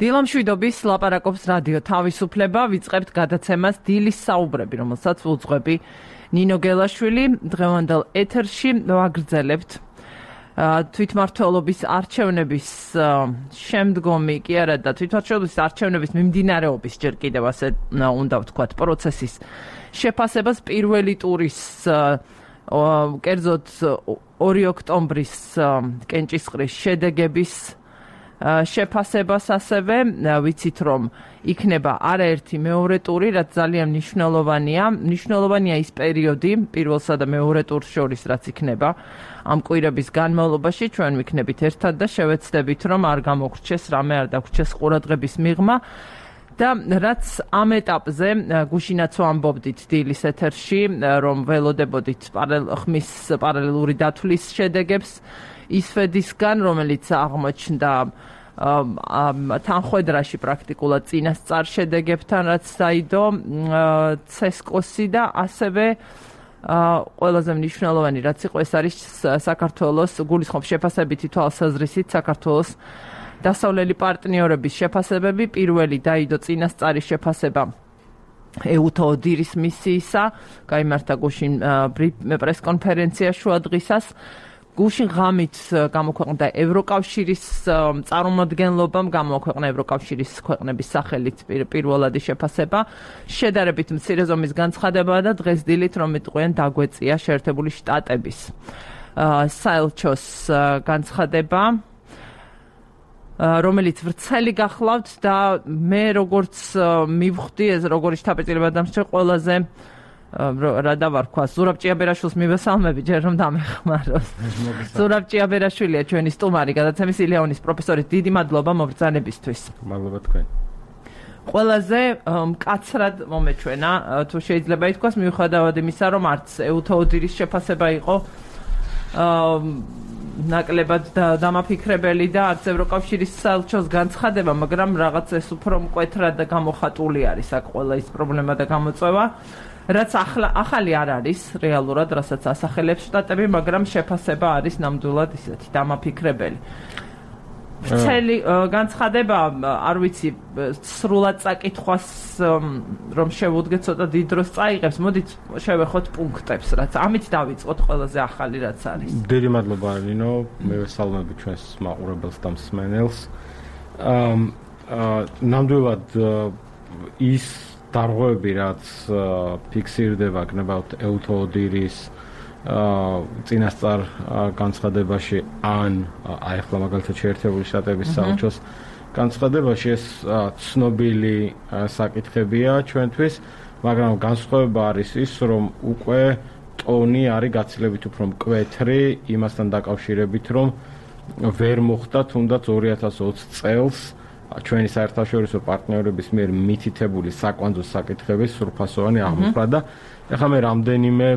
დილამშვიდობის ლაპარაკობს რადიო თავისუფლება, ვიწყებთ გადაცემას დილის საუბრები, რომელსაც უძღვები ნინო გელაშვილი. დღევანდელ ეთერში ვაგრძელებთ თვითმმართველობის არჩევნების შემდგომი კი არა და თვითმმართველობის არჩევნების მიმდინარეობის ჯერ კიდევ ასე უნდა ვთქვათ პროცესის შეფასებას პირველი ტურის კერძოდ 2 ოქტომბრის კენჭისყრის შედეგების შეფასებას ასევე ვიცით რომ იქნება არაერთი მეორე ტური, რაც ძალიან მნიშვნელოვანია ის პერიოდი პირველსა და მეორე ტურს შორის, რაც იქნება ამ კვირების განმავლობაში, ჩვენ ვიქნებით ერთად და შევეცდებით რომ არ გამოგრჩეს რამე, არ დაგვრჩეს ყურადღების მიღმა და რაც ამ ეტაპზე გუშინაც ვამბობდით დილის ეთერში, რომ ველოდებოდით ხმის პარალელური დათვლის შედეგებს ისვედისგან, რომელიც აღმოჩნდა თანხვედრაში პრაქტიკულად წინასწარ შედეგებთან, რაც დაიდო ცესკოსი და ასევე ყველაზე მნიშვნელოვანი რაც იყო, ეს არის საქართველოს გულისხმობს შეფასებითი თვალსაზრისით საქართველოს დასავლელი პარტნიორების შეფასებები. პირველი დაიდო წინასწარი შეფასება ეუთო ოდირის მისიისა, გაიმართა გუშინ პრესკონფერენცია შუადღისას. გუშინ ღამით გამოქვეყნდა ევროკავშირის წარმომადგენლობამ, გამოქვეყნა ევროკავშირის ქვეყნების სახელით პირველადი შეფასება. შედარებით მცირე ზომის განცხადებაა და დღეს დილით რომ იტყვიან დაგვეწია შეერთებული შტატების საელჩოს განცხადება, რომელიც ვრცელი გახლავთ და მე როგორც მივხვდი, ეს როგორი შთაბეჭდილება დამსწრე ყველაზე რა დავარქვა, ზურაბ ჭიაბერაშვილს მივესალმები, ჯერ რომ დამეხმაროს. ზურაბ ჭიაბერაშვილია ჩვენი სტუმარი, გადაცემის ილეონის პროფესორი. დიდი მადლობა მობრძანებისთვის. მადლობა თქვენ. ყველაზე მკაცრად მომეჩვენა, თუ შეიძლება ითქვას, მიუხედავად იმისა, რომ არც ეუთო ოდირის შეფასება იყო ნაკლებად დამაფიქრებელი და არც ევროკავშირის საელჩოს განცხადება, მაგრამ რაღაც ეს უფრო მკვეთრად და გამოხატული არის აქ ყველა ის პრობლემა და გამოწვევა. რაც ახალი არ არის რეალურად, რასაც ასახელებს შტატები, მაგრამ შეფასება არის ნამდვილად ისეთი დამაფიქრებელი. ვრცელი განცხადება, არ ვიცი, სრულად წაკითხვას რომ შევუდგეთ ცოტა დიდ დროს წაიღებს, მოდით შევეხოთ პუნქტებს, რაც ამით დავიწყოთ ყველაზე ახალი რაც არის. დიდი მადლობა ნინო, მე ვესალმები ჩვენს მაყურებელს და მსმენელს. ნამდვილად ის დარღვევები, რაც ფიქსირდება გნებავთ ეუთო ოდირის წინასწარ განცხადებაში ან ახლა მაგალითად შეერთებული შტატების საელჩოს განცხადებაში, ეს ცნობილი საკითხებია ჩვენთვის, მაგრამ განსხვავება არის ის, რომ უკვე ტონი არის გაცილებით უფრო მკვეთრი იმასთან დაკავშირებით, რომ ვერ მოხდა თუნდაც 2020 წელს ჩვენი საერთაშორისო პარტნიორების მიერ მითითებული საკვანძო საკითხების სრულფასოვანი აღმოფხვრა და ეხლა მე რამდენიმე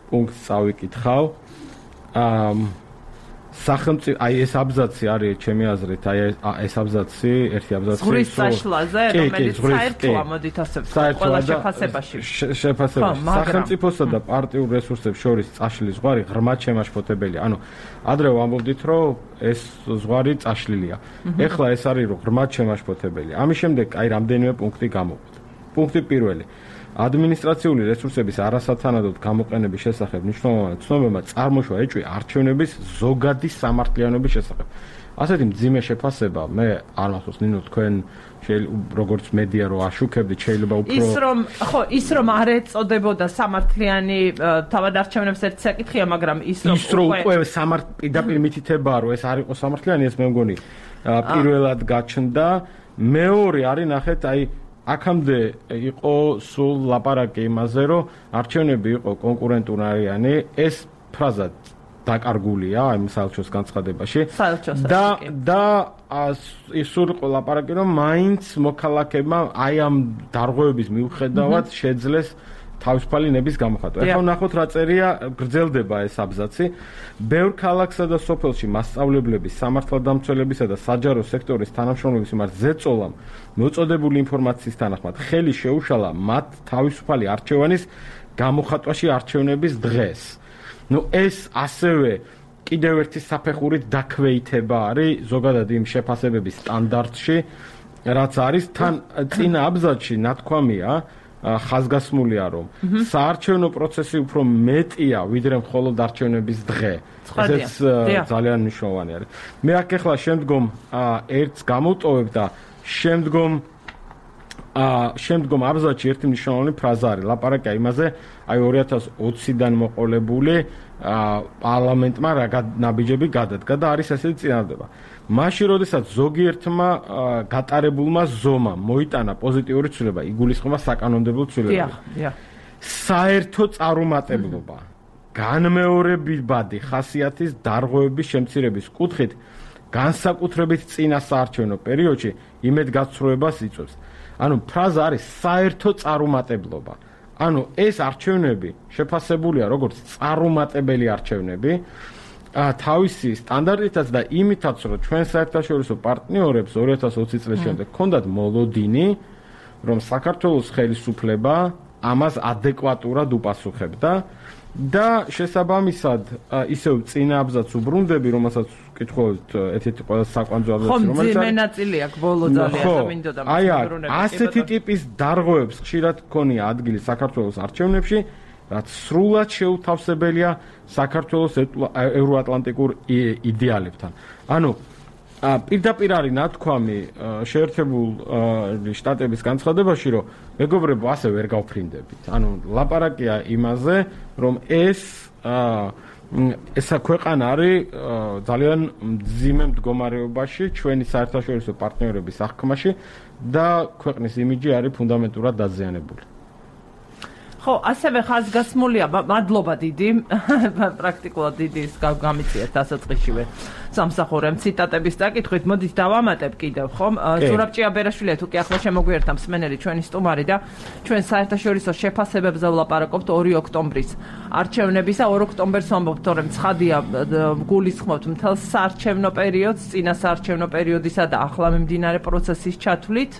პუნქტს წავიკითხავ. სახელმწიფო, აი ეს აბზაცი არის ჩემი აზრით, აი ეს აბზაცი, ერთი აბზაცი ზღვის წაშლაზე, რომელიც საერთოა, მოდით ასე ვთქვათ, ყველა შეფასებაში. სახელმწიფოსა და პარტიულ რესურსებს შორის წაშლის ზღვარი ღრმად შემაშფოთებელია. ანუ ადრე ვამბობდით, რომ ეს ზღვარი წაშლილია. ეხლა ეს არის რომ ღრმად შემაშფოთებელია. ამის შემდეგ აი რამდენიმე პუნქტი გამოვყოთ. პუნქტი პირველი. ადმინისტრაციული რესურსების არასათანადოდ გამოყენების შესახებ მნიშვნელოვანი ცნობება წარმოშვა ეჭვი არჩევნების ზოგადი სამართლიანობის შესახებ. ასეთი მძიმე შეფასება, მე არ მახსოვს ნინო თქვენ როგორც მედია რო აშუქებდით, შეიძლება უფრო ის რომ არ ეწოდებოდა სამართლიანი თავად არჩევნებს ერთ საკითხია, მაგრამ ის რომ უკვე პირდაპირ მითითებაა, რომ ეს არ იყო სამართლიანი, ეს მე მგონი პირველად გაჩნდა. მეორე არის ნახეთ, აი აქამდე იყო სულ ლაპარაკი იმაზე, რომ არჩევნები იყო კონკურენტულარიანი, ეს ფრაზა დაკარგულია ამ საელჩოს განცხადებაში და სულ იყო ლაპარაკი, რომ მაინც მოქალაქეებმა აი ამ დარღვევების მიუხედავად შეძლეს თავისუფალი ნების გამოხატვა. ეხლა ვნახოთ რა წერია, გრძელდება ეს აბზაცი. ბევრ ქალაქსა და სოფელში მასწავლებლების, სამართალდამცველებისა და საჯარო სექტორის თანამშრომლების მიმართ ზეწოლამ მოწოდებული ინფორმაციის თანახმად ხელი შეუშალა მათ თავისუფალი არჩევანის გამოხატვაში არჩევნების დღეს. ეს ასევე კიდევ ერთი საფეხურით დაქვეითება არის ზოგადად იმ შეფასებების სტანდარტში, რაც არის თან წინა აბზაცში ნათქვამია ხაზგასმულია, რომ საარჩევნო პროცესი უფრო მეტია, ვიდრე მხოლოდ არჩევნების დღე. ესეც ძალიან მნიშვნელოვანი არის. მე აქ ახლა შემდგომ ერთს გამოვტოვებ და შემდგომ აბზაცში ერთი მნიშვნელოვანი ფრაზა არის. ლაპარაკია იმაზე, აი 2020-დან მოყოლებული პარლამენტმა რა ნაბიჯები გადადგა და არის ესეთი წინადადება. მაშინ, როდესაც ზოგიერთმა გატარებულმა ზომამ მოიტანა პოზიტიური ცვლილება, იგულისხმება საკანონმდებლო ცვლილებები. საერთო წარუმატებლობა, განმეორებადი ხასიათის დარღვევების შემცირების კუთხით, განსაკუთრებით წინა საარჩევნო პერიოდში იმედგაცრუებას იწვევს. ანუ ფრაზა არის საერთო წარუმატებლობა. ანუ ეს არჩევნები შეფასებულია როგორც წარუმატებელი არჩევნები თავისი სტანდარტითაც და იმითაც, რომ ჩვენ საერთაშორისო პარტნიორებს 2020 წლის შემდეგ ჰქონდათ მოლოდინი, რომ საქართველოს ხელისუფლება ამას ადეკვატურად უპასუხებდა და შესაბამისად ისევ წინა აბზაცს უბრუნდები, რომელსაც კითხულობთ ერთ-ერთი ყველაზე საკვანძო აბზაცი, რომელიც არის ნაწილი აქვს ბოლო ძალიან და მინდოდა აი ასეთი ტიპის დარღვევებს ხშირად ქონია ადგილი საქართველოს არჩევნებში, რაც სრულად შეუთავსებელია საქართველოს ევროატლანტიკურ იდეალებთან. ანუ პირდაპირ არის ნათქვამი შეერთებული შტატების განცხადებაში, რომ მეგობრებო, ასე ვერ გავფრინდებით. ანუ ლაპარაკია იმაზე, რომ ესა ქვეყანა არის ძალიან მძიმე მდგომარეობაში ჩვენი საერთაშორისო პარტნიორების აღქმაში და ქვეყნის იმიჯი არის ფუნდამენტურად დაზიანებული. ხო, ასევე ხაზგასმულია, მადლობა დიდი, პრაქტიკულად დიდი ის გამიციეთ დასაწყისშივე სამსახურემ ციტატების დაკითხვით. მოდით დავამატებ კიდევ, ხომ? ზურაბ ჭიაბერაშვილი თუ კი ახლა შემოგვიერთა მსმენელი ჩვენი სტუმარი და ჩვენ საერთაშორისო შეფასებებზე ვლაპარაკობთ 2 ოქტომბრის არჩევნებისა. 2 ოქტომბერს ვამბობთ, რომ ცხადია გულისხმობთ მთელ საარჩევნო პერიოდს, წინა საარჩევნო პერიოდისა და ახლა მიმდინარე პროცესის ჩათვლით.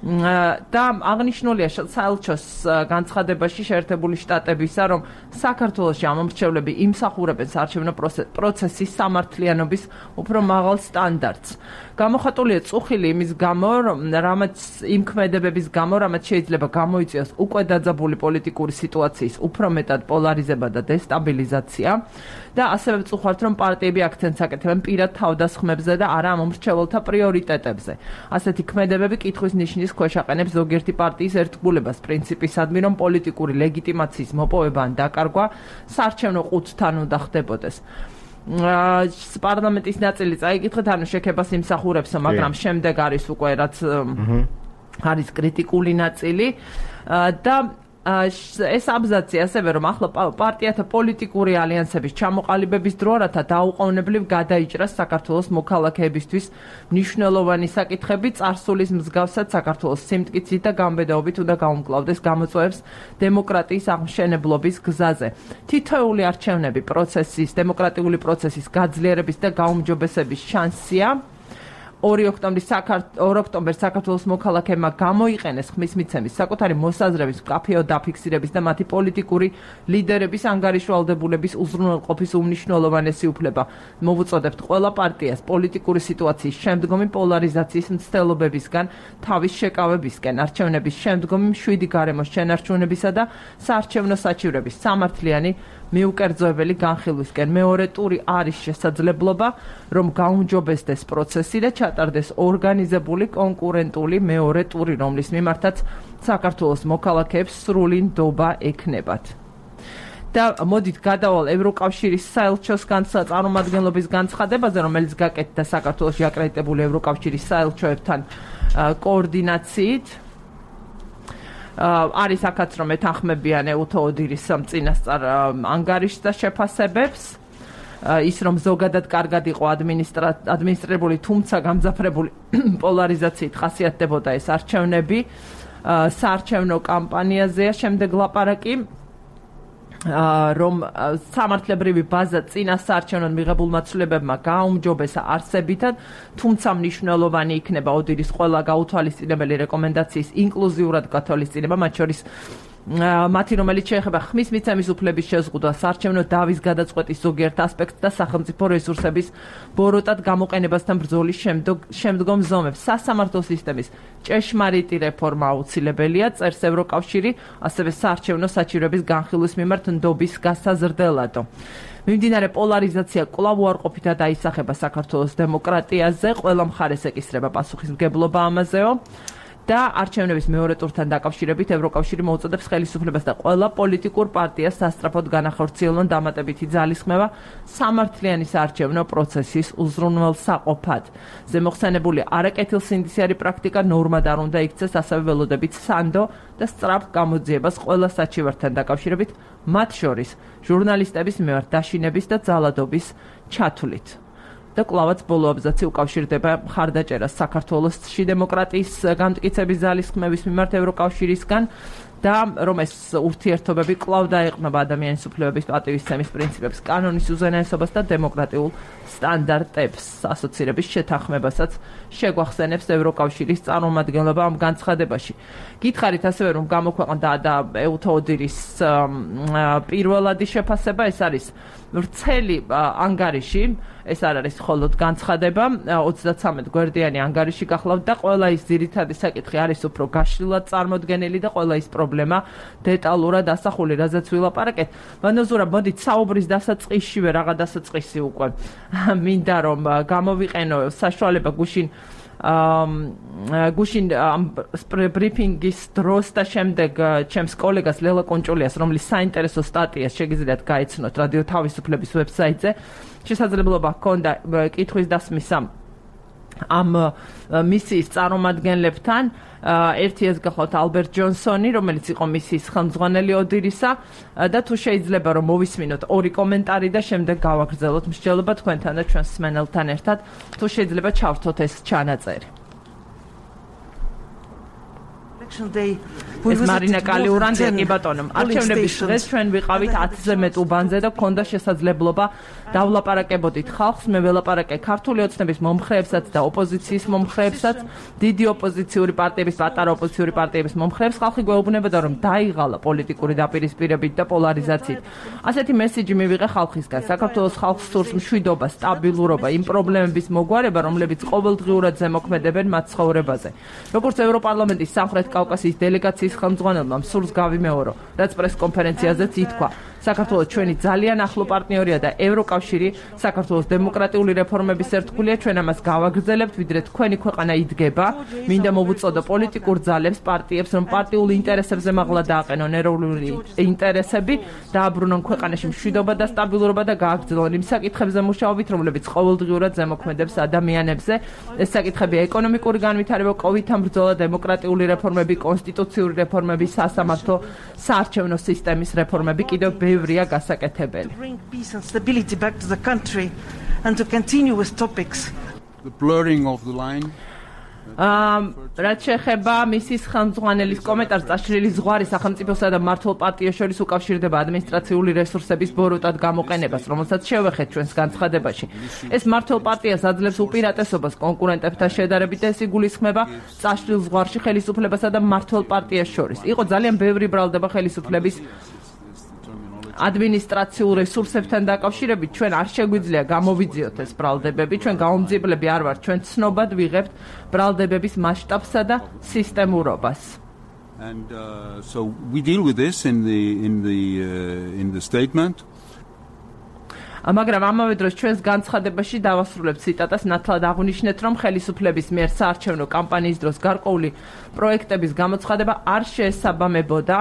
და აღნიშნულია საელჩოს განცხადებაში შეერთებული შტატებისა, რომ საქართველოში ამომრჩევლები იმსახურებენ საარჩევნო პროცესის სამართლიანობის უფრო მაღალ სტანდარტს. გამოხატულია წუხილი იმის გამო, რამაც იმ ქმედებების გამო, რამაც შეიძლება გამოიწვიოს უკვე დაძაბული პოლიტიკური სიტუაციის უფრო მეტად პოლარიზება და დესტაბილიზაცია. და ასევე ვწუხართ, რომ პარტიები აქცენტს აკეთებენ პირად თავდასხმებზე და არა ამომრჩეველთა პრიორიტეტებზე. ასეთი ქმედებები კითხვის ნიშნის ქვეშ აყენებს ზოგიერთი პარტიის ერთგულებას პრინციპისადმი, რომ პოლიტიკური ლეგიტიმაციის მოპოვება ან დაკარგვა საარჩევნო ყუთთან უნდა ხდებოდეს. პარლამენტის ნაწილი წაიკითხეთ, ანუ შექებას იმსახურებს, მაგრამ შემდეგ არის უკვე რაც არის კრიტიკული ნაწილი და ეს აბზაცი ასევე რომ ახლა პარტიათა პოლიტიკური ალიანსების ჩამოყალიბების დრო რათა დაუყოვნებლივ გადაიჭრას საქართველოს მოქალაქეებისთვის მნიშვნელოვანი საკითხები წარსულის მსგავსად საქართველოს სიმტკიცით და გამბედაობით უნდა გაუმკლავდეს გამოწვევებს დემოკრატიის აღმშენებლობის გზაზე. თითოეული არჩევნები დემოკრატიული პროცესის გაძლიერების და გაუმჯობესების შანსია. 2 ოქტომბერს საქართველოს მოქალაქეებმა გამოიყენეს ხმის მიცემის საკუთარი მოსაზრების მკაფიო დაფიქსირების და მათი პოლიტიკური ლიდერების ანგარიშვალდებულების უზრუნველყოფის უმნიშვნელოვანესი უფლება. მოვუწოდებთ ყველა პარტიას პოლიტიკური სიტუაციის შემდგომი პოლარიზაციის მცდელობებისგან თავის შეკავებისკენ, არჩევნების შემდგომი მშვიდი გარემოს შენარჩუნებისა და საარჩევნო საჩივრების სამართლიანი მიუკერძოებელი განხილვისკენ. მეორე ტური არის შესაძლებლობა, რომ გაუმჯობესდეს პროცესი და ჩატარდეს ორგანიზებული კონკურენტული მეორე ტური, რომლის მიმართაც საქართველოს მოქალაქეებს სრული ნდობა ექნებათ. და მოდით გადავალ ევროკავშირის საელჩოს წარმომადგენლობის განცხადებაზე, რომელიც გაკეთდა საქართველოში აკრედიტებული ევროკავშირის საელჩოებთან კოორდინაციით. არის აქაც რომ ეთანხმებიან ეუთო ოდირის წინასწარ ანგარიშს და შეფასებებს. ის რომ ზოგადად კარგად იყო ადმინისტრირებული, თუმცა გამძაფრებული პოლარიზაციით ხასიათდებოდა ეს არჩევნები. საარჩევნო კამპანიაზეა შემდეგ ლაპარაკი, რომ სამართლებრივი ბაზა წინა საარჩევნოდ მიღებულმა ცვლილებებმა გააუმჯობესა არსებითად, თუმცა მნიშვნელოვანი იქნება ოდირის ყველა გაუთვალისწინებელი რეკომენდაციის ინკლუზიურად გათვალისწინება, მათ შორის მათი რომელიც შეეხება ხმის მიცემის უფლების შეზღუდვას, საარჩევნო დავის გადაწყვეტის ზოგიერთ ასპექტს და სახელმწიფო რესურსების ბოროტად გამოყენებასთან ბრძოლის შემდგომ ზომებს. სასამართლო სისტემის ჭეშმარიტი რეფორმა აუცილებელია, წერს ევროკავშირი, ასევე საარჩევნო საჭიროების განხილვის მიმართ ნდობის გასაზრდელადო. მიმდინარე პოლარიზაცია კვლავ უარყოფითად აისახება საქართველოს დემოკრატიაზე, ყველა მხარეს ეკისრება პასუხისმგებლობა ამაზეო. და არჩევნების მეორე ტურთან დაკავშირებით ევროკავშირი მოუწოდებს ხელისუფლებას და ყველა პოლიტიკურ პარტიას სასწრაფოდ განახორციელონ დამატებითი ძალისხმევა სამართლიანი საარჩევნო პროცესის უზრუნველსაყოფად. ზემოხსენებული არაკეთილსინდისიარი პრაქტიკა ნორმად არ უნდა იქცეს, ასევე ველოდებით სანდო და სწრაფ გამოძიებას ყველა საჩივართან დაკავშირებით, მათ შორის ჟურნალისტების მიმართ დაშინების და ძალადობის ჩათვლით. და კლავაც ბოლო აბზაცი უკავშირდება მხარდაჭერას საქართველოსში დემოკრატიის გამტკიცების ძალისხმევის მიმართ ევროკავშირისგან და რომ ეს ურთიერთობები კვლავ დაეყრდნობა ადამიანის უფლებების პატივისცემის პრინციპებს, კანონის უზენაესობას და დემოკრატიულ სტანდარტებს. ასოცირების შეთანხმებასაც შეგვახსენებს ევროკავშირის წარმომადგენლობა ამ განცხადებაში. გითხარით ასევე რომ გამოქვეყნდა და ეუთოოდირის პირველადი შეფასება, ეს არის ვრცელი ანგარიში, ეს არ არის მხოლოდ განცხადება, 33 გვერდიანი ანგარიში გახლავთ და ყველა ის ძირითადი საკითხი არის უფრო გაშლილად წარმოდგენილი და ყველა ის პრობლემა დეტალურად ასახული, რაზეც ვილაპარაკეთ. მანოზურა, მოდით საუბრის დასაწყისშივე რაღა დასაწყისი უკვე მინდა რომ გამოვიყენო საშუალება გუშინ ბრიფინგის დროს და შემდეგ ჩემს კოლეგას ლელა კონჭულიას, რომლის საინტერესო სტატიას შეგიძლიათ გაიცნოთ რადიო თავისუფლების ვებსაიტზე, შესაძლებლობა ჰქონდა კითხვის დასმისა ამ მისიის წარმომადგენლებთან. ერთი ეს გახლავთ ალბერტ ჯონსონი, რომელიც იყო მისიის ხელმძღვანელი ოდირისა და თუ შეიძლება რომ მოვისმინოთ ორი კომენტარი და შემდეგ გავაგრძელოთ მსჯელობა თქვენთან და ჩვენს მსმენელთან ერთად, თუ შეიძლება ჩავრთოთ ეს ჩანაწერი. ეს მარინა კალიურანდი, კი ბატონო, არჩევნების დღეს ჩვენ ვიყავით 10-ზე მეტ უბანზე და გქონდა შესაძლებლობა დავლაპარაკებოდით ხალხს. მე ველაპარაკე ქართული ოცნების მომხრეებსაც და ოპოზიციის მომხრეებსაც, დიდი ოპოზიციური პარტიების, პატარა ოპოზიციური პარტიების მომხრეებს. ხალხი გვეუბნებოდა რომ დაიღალა პოლიტიკური დაპირისპირებით და პოლარიზაციით. ასეთი მესიჯი მივიღე ხალხისგან. საქართველოს ხალხს სურს მშვიდობა, სტაბილურობა, იმ პრობლემების მოგვარება, რომლებიც ყოველდღიურად ზემოქმედებენ მათ ცხოვრებაზე. როგორც ევროპარლამენტის სამხრეთ კავკასიის დელეგაციის ხელმძღვანელმა სურს გავიმეორო, რაც პრესკონფერენციაზეც ითქვა. საქართველოს ჩვენი ძალიან ახლო პარტნიორია და ევროკავშირი საქართველოს დემოკრატიული რეფორმების ერთგულია. ჩვენ ამას გავაგრძელებთ, ვიდრე თქვენი ქვეყანა იდგება. მინდა მოვუწოდო პოლიტიკურ ძალებს, პარტიებს, რომ პარტიულ ინტერესებზე მაღლა დააყენონ ეროვნული ინტერესები, დააბრუნონ ქვეყანაში მშვიდობა და სტაბილურობა და გააგრძელონ იმ საკითხებზე მუშაობით, რომლებიც ყოველდღიურად ზემოქმედებს ადამიანებზე. ეს საკითხებია ეკონომიკური განვითარება, კოვიდთან ბრძოლა, დემოკრატიული რეფორმები, კონსტიტუციური რეფორმები, სასამართლო, საარჩევნო სისტემის რეფორმები, კიდევ ბევრია გასაკეთებელი. რაც შეეხება მისის ხელმძღვანელის კომენტარს, წაშლილი ზღვარი სახელმწიფოსა და მმართველ პარტიას შორის უკავშირდება ადმინისტრაციული რესურსების ბოროტად გამოყენებას, რომელსაც შევეხეთ ჩვენს განცხადებაში. ეს მმართველ პარტიას აძლევს უპირატესობას კონკურენტებთან შედარებით და ეს იგულისხმება წაშლილ ზღვარში ხელისუფლებასა და მმართველ პარტიას შორის. იყო ძალიან ბევრი ბრალდება ხელისუფლების ადმინისტრაციულ რესურსებთან დაკავშირებით. ჩვენ არ შეგვიძლია გამოვიძიოთ ეს ბრალდებები, ჩვენ გაუმძიებლები არ ვართ, ჩვენ ცნობად ვიღებთ ბრალდებების მასშტაბსა და სისტემურობას. And so we deal with this in the statement. მაგრამ ამავე დროს ჩვენს განცხადებაში დავასრულებთ ციტატას, ნათლად აღვნიშნეთ, რომ ხელისუფლების მიერ საარჩევნო კამპანიის დროს გარკვეული პროექტების გამოცხადება არ შეესაბამებოდა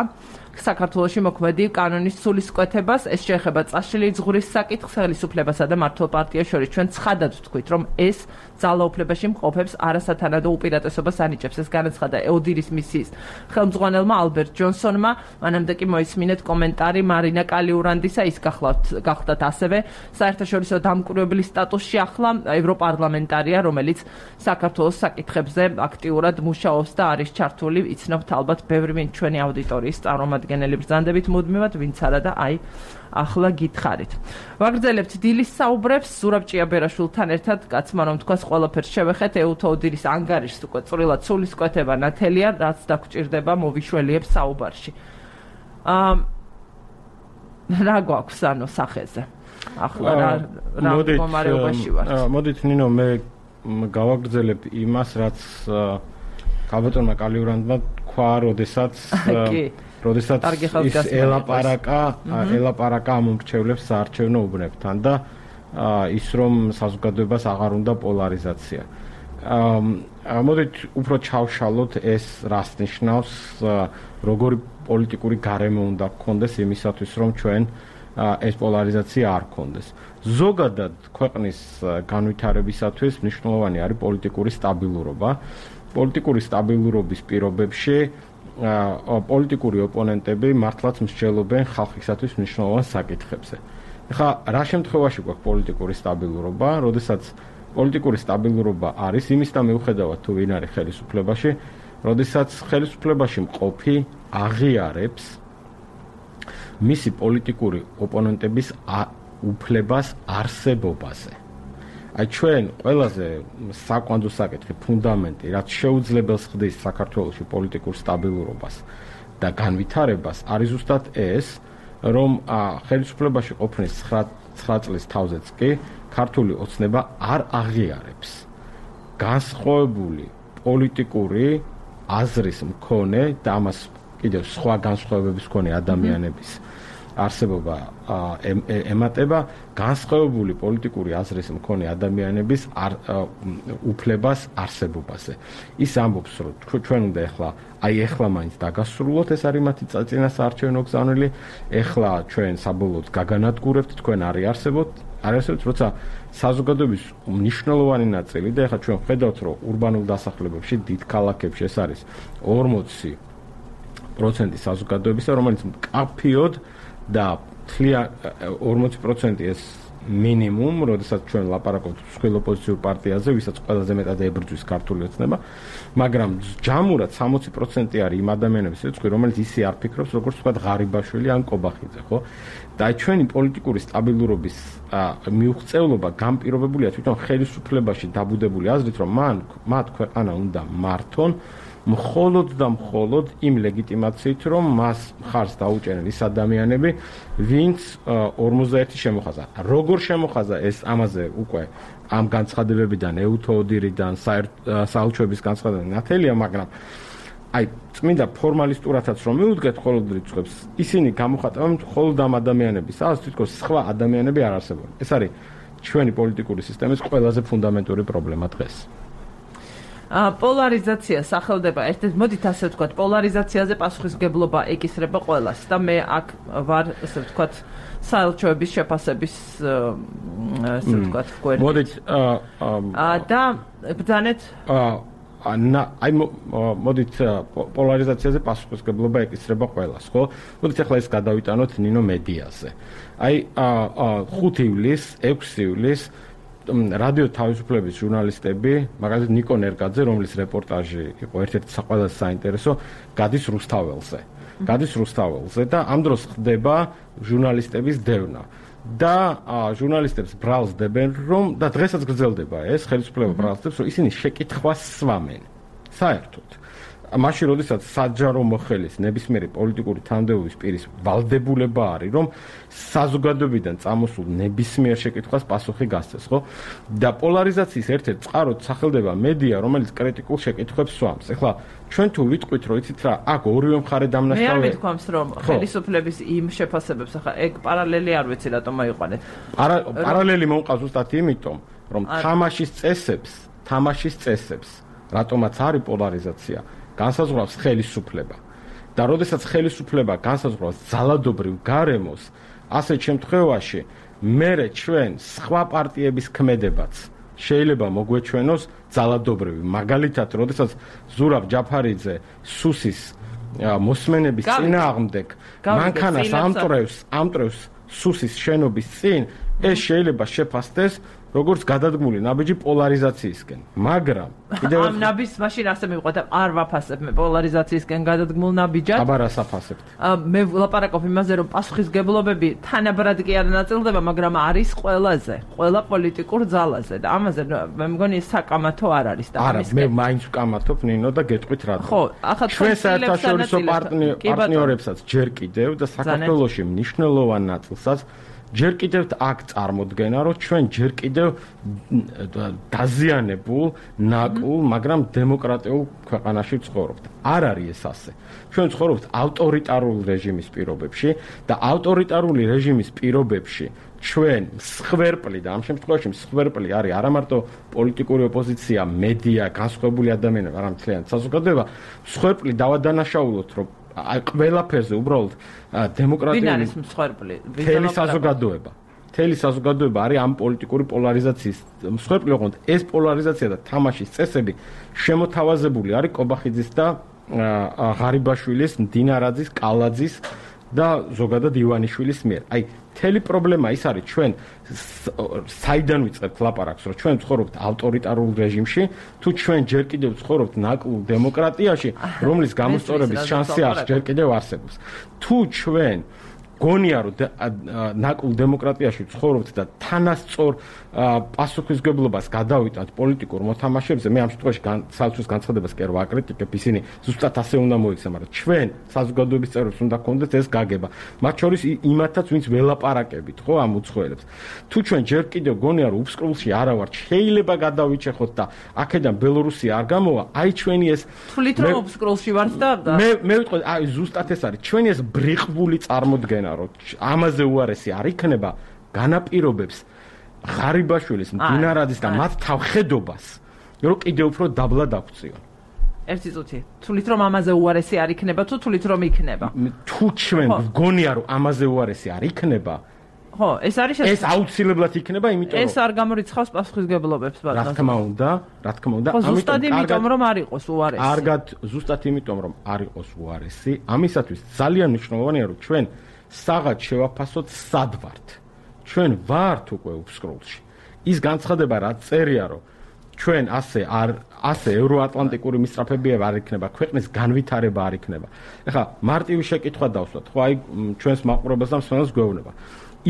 საქართველოში მოქმედი კანონის სულისკვეთებას. ეს შეეხება წაშლილი ზღვრის საკითხს ხელისუფლებასა და მმართველ პარტიას შორის. ჩვენ ცხადად ვთქვით, რომ ეს ძალაუფლებაში მყოფებს არასათანადო უპირატესობას ანიჭებს. ეს განაცხადა ოდირის მისიის ხელმძღვანელმა ალბერტ ჯონსონმა. მანამდე კი მოისმინეთ კომენტარი მარინა კალიურანდისა, ის გახლდათ ასევე საერთაშორისო დამკვირვებლის სტატუსში ახლა ევროპარლამენტარია, რომელიც საქართველოს საკითხებზე აქტიურად მუშაობს და არის ჩართული. იცნობთ ალბათ ბევრი ვინ ჩვენი აუდიტორიის წარმომადგენელი ბრძანდებით მუდმივად, ვინც არა და აი ახლა გითხარით. ვაგრძელებთ დილის საუბრებს ზურაბ ჭიაბერაშვილთან ერთად, კაცმა რომ თქვას ყველაფერს შევეხეთ, ეუთოოდირის ანგარიშს უკვე წვრილად სულისკვეთება ნათელია, რაც დაგჭირდება მოვიშველიებ საუბარში. რა გვაქვს ანუ სახეზე? ახლა რა მდგომარეობაში ვართ? მოდით ნინო მე გავაგრძელებ იმას, რაც ქალბატონმა კალიურანდმა თქვა, როდესაც ის ელაპარაკა ამ მრჩევლებს საარჩევნო უბნებთან და ის რომ საზოგადოებას აღარ უნდა პოლარიზაცია. მოდით უფრო ჩავშალოთ ეს რას ნიშნავს, როგორი პოლიტიკური გარემო უნდა გქონდეს იმისათვის, რომ ჩვენ ეს პოლარიზაცია არ გქონდეს. ზოგადად ქვეყნის განვითარებისათვის მნიშვნელოვანი არის პოლიტიკური სტაბილურობა. პოლიტიკური სტაბილურობის პირობებში პოლიტიკური ოპონენტები მართლაც მსჯელობენ ხალხისათვის მნიშვნელოვან საკითხებზე. ეხლა რა შემთხვევაში გვაქვს პოლიტიკური სტაბილურობა, როდესაც პოლიტიკური სტაბილურობა არის იმის და მიუხედავად თუ ვინ არის ხელისუფლებაში, როდესაც ხელისუფლებაში მყოფი აღიარებს მისი პოლიტიკური ოპონენტების უფლებას არსებობაზე. აი ჩვენ ყველაზე საკვანძო საკითხი, ფუნდამენტი, რაც შეუძლებელს ხდის საქართველოში პოლიტიკურ სტაბილურობას და განვითარებას, არის ზუსტად ეს, რომ ხელისუფლებაში ყოფნის 9 წლის თავზეც კი ქართული ოცნება არ აღიარებს განსხვავებული პოლიტიკური აზრის მქონე და ამას კიდევ სხვა განსხვავებების მქონე ადამიანების არსებობა ემატება განსხვავებული პოლიტიკური აზრის მქონე ადამიანების უფლებას არსებობაზე. ის ამბობს, რომ ჩვენ უნდა ეხლა მაინც დაგასრულოთ, ეს არის მათი წინასაარჩევნო გზავნილი, ეხლა ჩვენ საბოლოოდ გაგანადგურებთ, თქვენ არ არსებობთ, როცა საზოგადოების მნიშვნელოვანი ნაწილი და ეხლა ჩვენ ხედავთ, რომ ურბანულ დასახლებებში, დიდ ქალაქებში ეს არის 40% საზოგადოებისა, რომელიც მკაფიოდ და 40% ეს მინიმუმ, როდესაც ჩვენ ლაპარაკობთ მსხვილ ოპოზიციურ პარტიაზე, ვისაც ყველაზე მეტად ებრძვის ქართული ოცნება, მაგრამ ჯამურად 60% არის იმ ადამიანების რიცხვი, რომელიც ისე არ ფიქრობს, როგორც თქვა ღარიბაშვილი ან კობახიძე, ხო? და ჩვენი პოლიტიკური სტაბილურობის მიუღწევლობა განპირობებულია თვითონ ხელისუფლებაში დაბუდებული აზრით, რომ მათ ქვეყანა უნდა მართონ მხოლოდ და მხოლოდ იმ ლეგიტიმაციით, რომ მას მხარს დაუჭერენ ის ადამიანები, ვინც 51 შემოხაზა. როგორ შემოხაზა ეს ამაზე უკვე ამ განცხადებებიდან, ეუთოოდირიდან, საელჩოების განცხადებებიდან ნათელია, მაგრამ აი წმინდა ფორმალისტურათაც რომ მიუდგეთ მხოლოდ რიცხვებს, ისინი გამოხატავენ მხოლოდ ამ ადამიანების, სადაც თითქოს სხვა ადამიანები არ არსებობენ. ეს არის ჩვენი პოლიტიკური სისტემის ყველაზე ფუნდამენტური პრობლემა დღეს. პოლარიზაცია სახელდება ერთ-ერთ, მოდით ასე ვთქვათ, პოლარიზაციაზე პასუხისმგებლობა ეკისრება ყველას და მე აქ ვარ, ასე ვთქვათ, საელჩოების შეფასების ასე ვთქვათ, გვერდით. მოდით და ბრძანეთ აი მოდით პოლარიზაციაზე პასუხისმგებლობა ეკისრება ყველას, ხო? მოდით ახლა ეს გადავიტანოთ ნინო მედიაზე. აი 5 ივლის, 6 ივლის რადიო თავისუფლების ჟურნალისტები, მაგალითად ნიკო ნერგაძე, რომლის რეპორტაჟი იყო ერთ-ერთი ყველაზე საინტერესო, გადის რუსთაველზე და ამ დროს ხდება ჟურნალისტების დევნა. და ჟურნალისტებს ბრალს დებენ, რომ და დღესაც გრძელდება ეს ხელისუფლება ბრალს დებს, რომ ისინი შეკითხვას სვამენ. საერთოდ მაშინ, როდესაც საჯარო მოხელის ნებისმიერი პოლიტიკური თანამდებობის პირის ვალდებულება არის, რომ საზოგადოებიდან წამოსულ ნებისმიერ შეკითხვას პასუხი გასცეს, ხო? და პოლარიზაციის ერთ-ერთ წყაროდ სახელდება მედია, რომელიც კრიტიკულ შეკითხვებს სვამს. ეხლა ჩვენ თუ ვიტყვით, რომ იცით რა, აქ ორივე მხარე დამნაშავე. მე არ მითქვამს, რომ ხელისუფლების იმ შეფასებებს, ახლა ეგ პარალელი არ ვიცი რატომ მოიყვანეთ. პარალელი მომყავს ზუსტად იმიტომ, რომ თამაშის წესებს, რატომაც არის პოლარიზაცია, განსაზღვრავს ხელისუფლება. და როდესაც ხელისუფლება განსაზღვრავს ძალადობრივ გარემოს, ასეთ შემთხვევაში მერე ჩვენ სხვა პარტიების ქმედებაც შეიძლება მოგვეჩვენოს ძალადობრივი. მაგალითად, როდესაც ზურაბ ჯაფარიძე სუსის მოსმენების წინააღმდეგ მანქანას ამტრევს სუსის შენობის წინ, ეს შეიძლება შეფასდეს როგორც გადადგმული ნაბიჯი პოლარიზაციისკენ. მაგრამ კიდევ ამ ნაბიჯს მაშინ ასე მივყვეთ, არ ვაფასებ მე პოლარიზაციისკენ გადადგმულ ნაბიჯად. აბა რას აფასებთ? მე ვლაპარაკობ იმაზე, რომ პასუხისგებლობები თანაბრად კი არ ნაწილდება, მაგრამ არის ყველა პოლიტიკურ ძალაზე და ამაზე მე მგონი საკამათო არ არის და ამის მე მაინც ვკამათობ ნინო და გეტყვით რა. ხო, ახლა ჩვენ საერთაშორისო პარტნიორებსაც ჯერ კიდევ და საქართველოში მნიშვნელოვან ნაწილსაც ჯერ კიდევ აქ წარმოდგენა, რომ ჩვენ ჯერ კიდევ დაზიანებულ, ნაკულ, მაგრამ დემოკრატიულ ქვეყანაში ვცხოვრობთ. არ არის ეს ასე. ჩვენ ვცხოვრობთ ავტორიტარული რეჟიმის პირობებში და ავტორიტარული რეჟიმის პირობებში ჩვენ მსხვერპლი და ამ შემთხვევაში მსხვერპლი არის არა მარტო პოლიტიკური ოპოზიცია, მედია, განსხვავებული ადამიანები, არამედ მთლიანი საზოგადოება, მსხვერპლი დავადანაშაულოთ, რომ ყველაფერზე უბრალოდ დემოკრატიული ვინ არის მსხვერპლი? მთელი საზოგადოება არის ამ პოლიტიკური პოლარიზაციის მსხვერპლი, ოღონდ ეს პოლარიზაცია და თამაშის წესები შემოთავაზებული არის კობახიძის და ღარიბაშვილის, მდინარაძის, კალაძის და ზოგადად ივანიშვილის მიერ. აი, მთელი პრობლემა ის არის, ჩვენ საიდან ვიწყებთ ლაპარაკს, რომ ჩვენ ვცხოვრობთ ავტორიტარულ რეჟიმში, თუ ჩვენ ჯერ კიდევ ვცხოვრობთ ნაკლულ დემოკრატიაში, რომლის გამოსწორების შანსი არ ჯერ კიდევ არსებობს. თუ ჩვენ გონია რომ ნაკლულ დემოკრატიაში ვცხოვრობთ და თანასწორ პასუხისგებლობას გადავიტანთ პოლიტიკურ მოთამაშეებზე, მე ამ შემთხვევაში საერთოდ განცხადებას კი არ ვაკრიტიკებ, ისინი ზუსტად ასე უნდა მოიქცნენ, მაგრამ ჩვენ საზოგადოების წევრებს უნდა გქონდეს ეს გაგება, მათ შორის იმათაც, ვინც ველაპარაკებით, ხო, ამ უცხოელებს. თუ ჩვენ ჯერ კიდევ გონია რომ უფსკრულში არა ვართ, შეიძლება გადავიჭეხოთ და აქედან ბელორუსია არ გამოვა, აი ჩვენი ეს თვლით რომ უფსკრულში ვართ და მე ვიტყვი, აი ზუსტად ეს არის, ჩვენი ეს ბრიყვული წარმოდგენა რომ ამაზე უარესი არ იქნება, განაპირობებს ღარიბაშვილის, მდინარაძის და მათ თავხედობას, რომ კიდევ უფრო დაბლა დაგვწიონ. ერთი წუთი. თვლით რომ ამაზე უარესი არ იქნება თუ თვლით რომ იქნება? თუ ჩვენ გონია რომ ამაზე უარესი არ იქნება, ხო, ეს არის ეს აუცილებლად იქნება, იმიტომ რომ ეს არ გამორიცხავს პასუხისგებლობებს, ბატონო. რა თქმა უნდა, ზუსტად იმიტომ რომ არ იყოს უარესი. კარგად, ზუსტად იმიტომ რომ არ იყოს უარესი, ამისათვის ძალიან მნიშვნელოვანია რომ ჩვენ საღად შევაფასოთ სად ვართ. ჩვენ ვართ უკვე უფსკრულში. ის განცხადება რა წერია რომ ჩვენ ასე ევროატლანტიკური მისწრაფებია არ იქნება, ქვეყნის განვითარება არ იქნება. ეხლა მარტივი შეკითხვა დავსვათ, ხო აი ჩვენს მაყურებელს და მსმენელს გვეუბნება.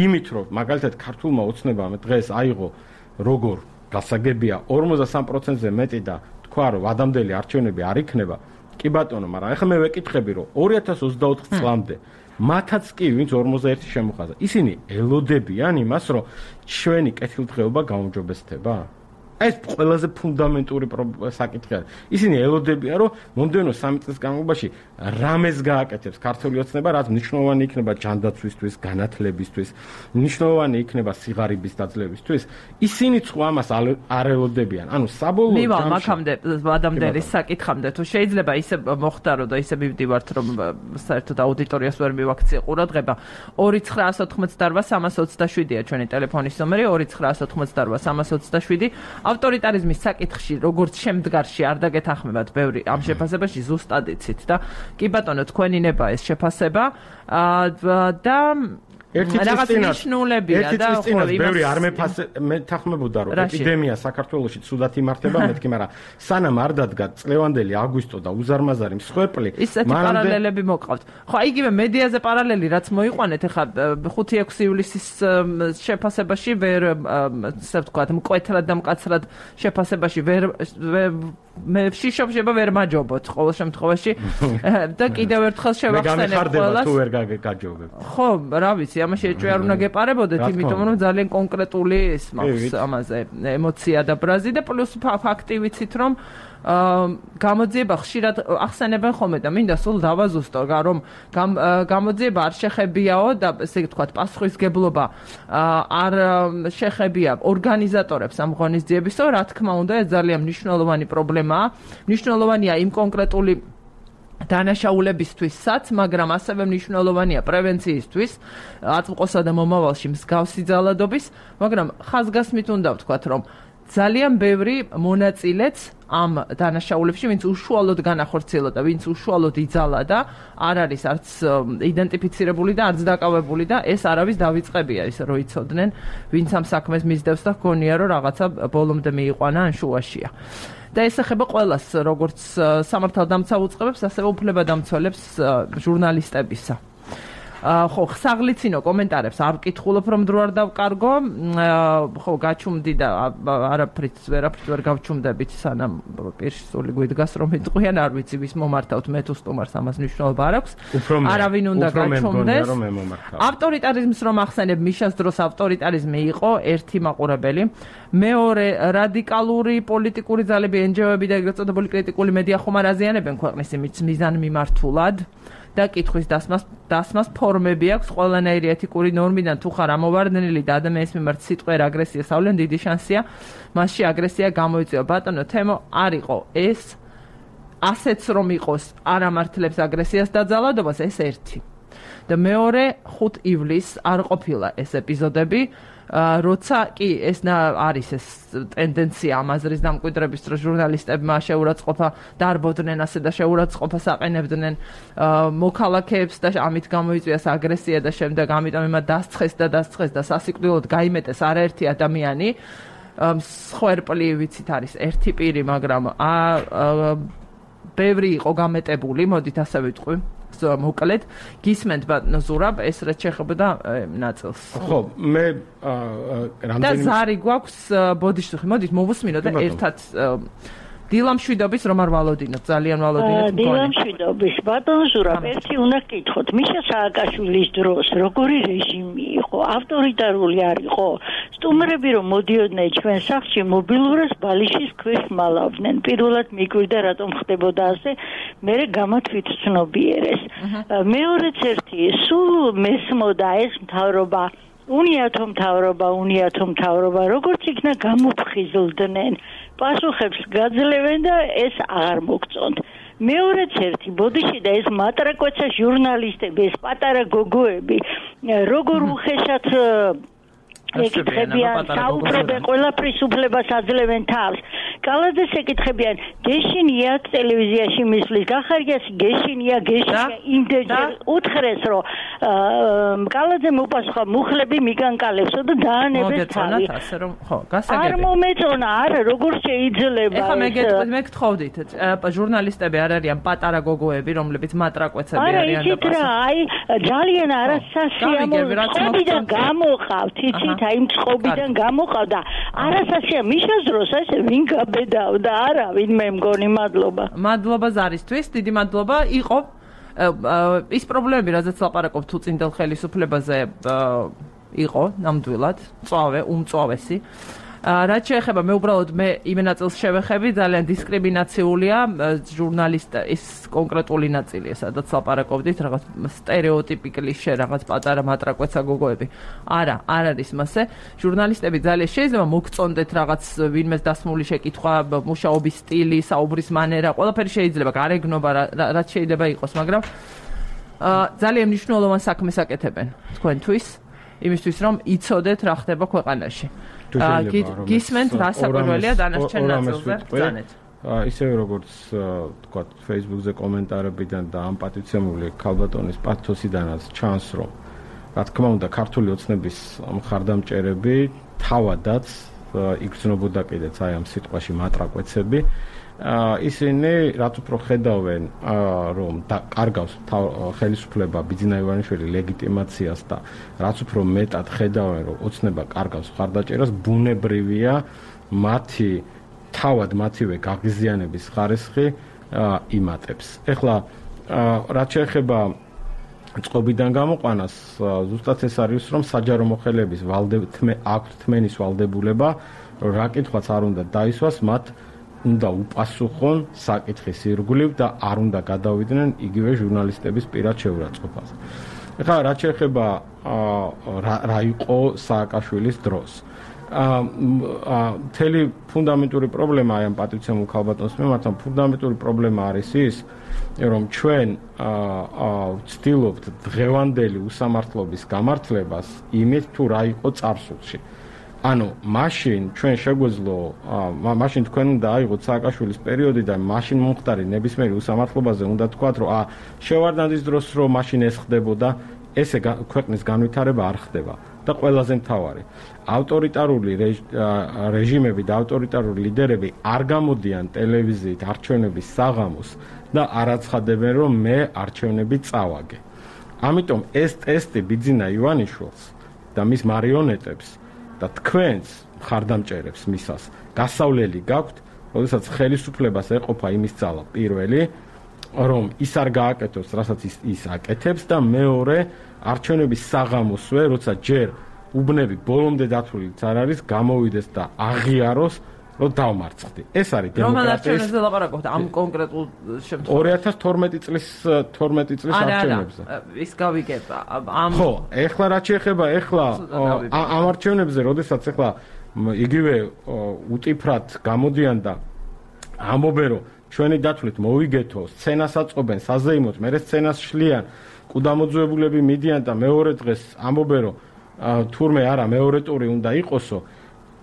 იმით რომ მაგალითად ქართულმა ოცნებამ დღეს აიღო როგორ გასაგებია 53%-ზე მეტი და თქვა რომ ადამიანელი არჩევნები არ იქნება, კი ბატონო, მაგრამ ეხლა მე ვეკითხები რომ 2024 წლამდე მათაც კი ვინც 41 შემოხაზა. ისინი ელოდებიან იმას, რომ ჩვენი კეთილდღეობა გაუმჯობესდება? ეს ყველაზე ფუნდამენტური საკითხი არის. ისინი ელოდებიან, რომ მომდევნო 3 წლის განმავლობაში რამეს გააკეთებს ქართული ოცნება, რაც მნიშვნელოვანი იქნება ჯანდაცვისთვის, განათლებისთვის, მნიშვნელოვანი იქნება სიღარიბის დაძლევისთვის. ისინი ხო ამას არ ელოდებიან. ანუ საბოლოო ჯამში მივალ მაგამდე ადამიანის საკითხამდე, თუ შეიძლება ისე მოხდარო და ისე მივდივართ, რომ საერთოდ აუდიტორიას ვერ მივაქციე ყურადღება. 2988327-ია ჩვენი ტელეფონის ნომერი, 2988327. ავტორიტარიზმის საკითხში, როგორც შემდგარში არ დაგეთანხმებათ ბევრი ამ შეფასებაში ზუსტად იცით და კი ბატონო, თქვენი ნება ეს შეფასება და რაღაც ნიშნულებია და ხო ბევრი არ მეთანხმებოდა რომ ეპიდემია საქართველოში ცუდად იმართება, მეთქი, მაგრამ სანამ არ დადგა წლევანდელი აგვისტო და უზარმაზარი მსხვერპლი, ისეთი პარალელები მოყავთ. ხო, იგივე მედიაზე პარალელი რაც მოიყვანეთ, ეხლა 5-6 ივლისის შეფასებაში ვერ ასე ვთქვათ, მკვეთრად და მკაცრად შეფასებაში მე შიშობ ვერ მაჯობოთ ყოველ შემთხვევაში და კიდევ ერთხელ შევახსენებ ყველას. თუ ვერ გაჯობებ. ხო, რა ვიცი, ამაში ეჭვი არ უნდა გეპარებოდეთ, იმიტომ რომ ძალიან კონკრეტული ის მაქვს ამაზე ემოცია და ბრაზი და პლუს ფაქტი ვიცით რომ გამოძიება ხშირად ახსენებენ ხოლმე და მინდა სულ დავაზუსტო, რომ გამოძიება არ შეხებიაო და ესე ვთქვათ, პასუხისგებლობა არ შეხებია ორგანიზატორებს ამ ღონისძიებისო, რა თქმა უნდა, ეს ძალიან მნიშვნელოვანი პრობლემაა. მნიშვნელოვანია იმ კონკრეტული დანაშაულებისთვისაც, მაგრამ ასევე მნიშვნელოვანია პრევენციისთვის, აწმყოსა და მომავალში მსგავსი ძალადობის, მაგრამ ხაზგასმით უნდა ვთქვათ, რომ ძალიან ბევრი მონაწილეც ამ დანაშაულებში, ვინც უშუალოდ განახორციელა, ვინც უშუალოდ იძალა და არ არის არც იდენტიფიცირებული და არც დაკავებული და ეს არავის დავიწყებია ის რო იცოდნენ, ვინც ამ საქმეს მისდევს და ჰგონია რომ რაღაცა ბოლომდე მიიყვანა ან შუაშია. და ეს ეხება ყველას, როგორც სამართალდამცავ უწყებებს, ასევე უფლებადამცველებს ჟურნალისტებისა. ხო, საღლიცინო კომენტარებს არ ვკითხულობ, რომ დრო არ დავკარგო. ხო, გაჩუმდი და არაფრით ვერ გავჩუმდებით, სანამ პირში სული გვიდგას, რომ იტყვიან, არ ვიცი, ვის მომართავთ, მე თუ სტუმარს ამას მნიშვნელობა არ აქვს. არავინ უნდა გაჩუმდეს. ავტორიტარიზმს რომ ახსენებ, მიშას დროს ავტორიტარიზმი იყო ერთი მაყურებელი. მეორე, რადიკალური პოლიტიკური ძალები, NGO-ები და ეგრეთ წოდებული კრიტიკული მედია ხომ არ აზიანებენ ქვეყნის მიზანმიმართულად. და კითხვის დასმას ფორმები აქვს ყველანაირი ეთიკური ნორმიდან თუ ხარ ამოვარდნილი და ადამიანის მიმართ სიტყვიერ აგრესიას ავლენ დიდი შანსია მასში აგრესია გამოიწვია ბატონო თემო არ იყო ეს ასეც რომ იყოს არ ამართლებს აგრესიას და ძალადობას ეს ერთი და მეორე 5 ივლისს არ ყოფილა ეს ეპიზოდები როცა კი ეს არის ეს ტენდენცია ამაზრის დამკვიდრების დროს ჟურნალისტებმა შეურაცხყოფა დარბოდნენ ასე და შეურაცხყოფას აყენებდნენ მოქალაქეებს და ამით გამოიწვიეს აგრესია და შემდეგ ამიტომ იმათ დასცხეს და სასიკვდილოდ გაიმეტეს არაერთი ადამიანი სხერპლი ვიცით არის ერთი პირი მაგრამ ბევრი იყო გამეტებული მოდით ასე ვიტყვი მოკლედ გისმენთ ბატონო ზურაბ ეს რაც შეეხებოდა ნაწილს ხო მე რამდენი და ზარი გვაქვს ბოდიშხი მოდით მოვუსმინოთ და ერთად დილამშვიდობის რომ არ ვალოდინოთ ძალიან ვალოდინოთ დილამშვიდობის ბატონო ზურაბ ერთი უნდა გკითხოთ მიშა სააკაშვილის დროს როგორი რეჟიმი იყო ავტორიტარული არ იყო სტუმრები რომ მოდიოდნენ ჩვენ სახლში მობილურას ბალიშის ქვეშ მალავდნენ პირველად მიკვირდა რატომ ხდებოდა ასე მე გამათვით ცნობიერეს მეორეც ერთი სულ მესმოდა ეს მთავრობა უნიათო მთავრობა როგორც იქნა გამოფხიზლდნენ პასუხებს გაძლევენ და ეს აღარ მოგწონთ მეორეც ერთი ბოდიში და ეს მატრაკვეცა ჟურნალისტები ეს პატარა გოგოები როგორ უხეშად ეკითხებიან საუბრობენ ყველაფრის უფლებას აძლევენ თავს კალაძეს ეკითხებიან გეშინია ტელევიზიაში მისვლის გახარიას გეშინია იმდენჯერ უთხრეს რომ კალაძე მოპასუხა მუხლები მიგანკალებსო და დაანებეს თავი არ მომეწონა არა როგორ შეიძლება ეხლა მე გთხოვდით ჟურნალისტები არ არიან პატარა გოგოები რომლებიც მატრაკვეცები არიან და პასუხი აი ძალიან არასასიამოვნო გამოყავთ იცით აი მწყობიდან გამოყავდა არასასია მიშას დროს ასე ვინ გაბედავდა არავინ მე მგონი მადლობა ზარისთვის დიდი მადლობა იყო ის პრობლემები რაზეც ლაპარაკობ თუ წინდელ ხელისუფლებაზე იყო ნამდვილად უმწვავესი რაც შეეხება მე უბრალოდ მე იმ ნაწილს შევეხები ძალიან დისკრიმინაციულია ჟურნალისტის კონკრეტული ნაწილია სადაც ლაპარაკობდით რაღაც სტერეოტიპი კლიშე რაღაც პატარა მატრაკვეცა გოგოები არა არ არის მასე ჟურნალისტები ძალიან შეიძლება მოგწონდეთ რაღაც ვინმეს დასმული შეკითხვა მუშაობის სტილი საუბრის მანერა ყველაფერი შეიძლება გარეგნობა რაც შეიძლება იყოს მაგრამ ძალიან მნიშვნელოვან საქმეს აკეთებენ თქვენთვის იმისთვის რომ იცოდეთ რა ხდება ქვეყანაში გისმენთ რა საკვირველია დანარჩენ ნაწილზე ბრძანეთ ისევე როგორც თქვა Facebook-ზე კომენტარებიდან და ამ პატიცემული ქალბატონის პათოსიდანაც ჩანს რომ რა თქმა უნდა ქართული ოცნების მხარდამჭერები თავადაც იგრძნობოდა კიდეც აი ამ სიტყვაში მატრაკვეცები ისინი რაც უფრო ხედავენ რომ კარგავს ხელისუფლება ბიძინა ივანიშვილი ლეგიტიმაციას და რაც უფრო მეტად ხედავენ რომ ოცნება კარგავს მხარდაჭერას ბუნებრივია მათივე გაღიზიანების ხარისხი იმატებს ეხლა რაც შეეხება წყობიდან გამოყვანას ზუსტად ეს არის რომ საჯარო მოხელეების აქვთ თმენის ვალდებულება რა კითხვაც არ უნდა დაისვას მათ უნდა უპასუხონ საკითხის ირგვლივ და არ უნდა გადავიდნენ იგივე ჟურნალისტების პირად შეურაცხყოფას. ეხლა რაც შეეხება რა იყო სააკაშვილის დროს. მთელი ფუნდამენტური პრობლემა აი ამ პატრიცემულ ქალბატონს მიმართ ფუნდამენტური პრობლემა არის ის რომ ჩვენ ვცდილობთ დღევანდელი უსამართლობის გამართლებას იმით თუ რა იყო წარსულში. ანუ მაშინ ჩვენ შეგვეძლო მაშინ თქვენ უნდა აიღოთ სააკაშვილის პერიოდი და მაშინ მომხდარი ნებისმიერი უსამართლობაზე უნდა თქვათ რომ შევარდნაძის დროს რომ მაშინ ეს ხდებოდა ესე ქვეყნის განვითარება არ ხდება და ყველაზე მთავარი ავტორიტარული რეჟიმები და ავტორიტარული ლიდერები არ გამოდიან ტელევიზიით არჩევნების საღამოს და არ აცხადებენ რომ მე არჩევნები წავაგე. ამიტომ ეს ტესტი ბიძინა ივანიშვილს და მის მარიონეტებს და თქვენს მხარდამჭერებს მისას გასავლელი გაქვთ, როდესაც ხელისუფლებას ეყოფა იმის ძალა პირველი, რომ ის არ გააკეთოს, რასაც ის აკეთებს და მეორე არჩევნების საღამოსვე, როცა ჯერ უბნები ბოლომდე დათვლილიც არ არის, გამოვიდეს და აღიაროს, რომ დავმარცხდი. ეს არის დემოკრატიის. რომელ არჩევნებზე ლაპარაკობთ ამ კონკრეტულ შემთხვევაში? 2012 წლის არჩევნებზე. ის გავიგებ. ხო, ეხლა რაც შეეხება ამ არჩევნებზე, როდესაც ეხლა იგივე უტიფრად გამოდიან და ამბობენ, რომ ჩვენი დათვლით მოვიგეთო, სცენას აწყობენ, საზეიმოთ, მერე სცენას შლიან, კუდამოძუებულები მიდიან და მეორე დღეს ამბობენ, რომ თურმე არა მეორე ტური უნდა იყოსო.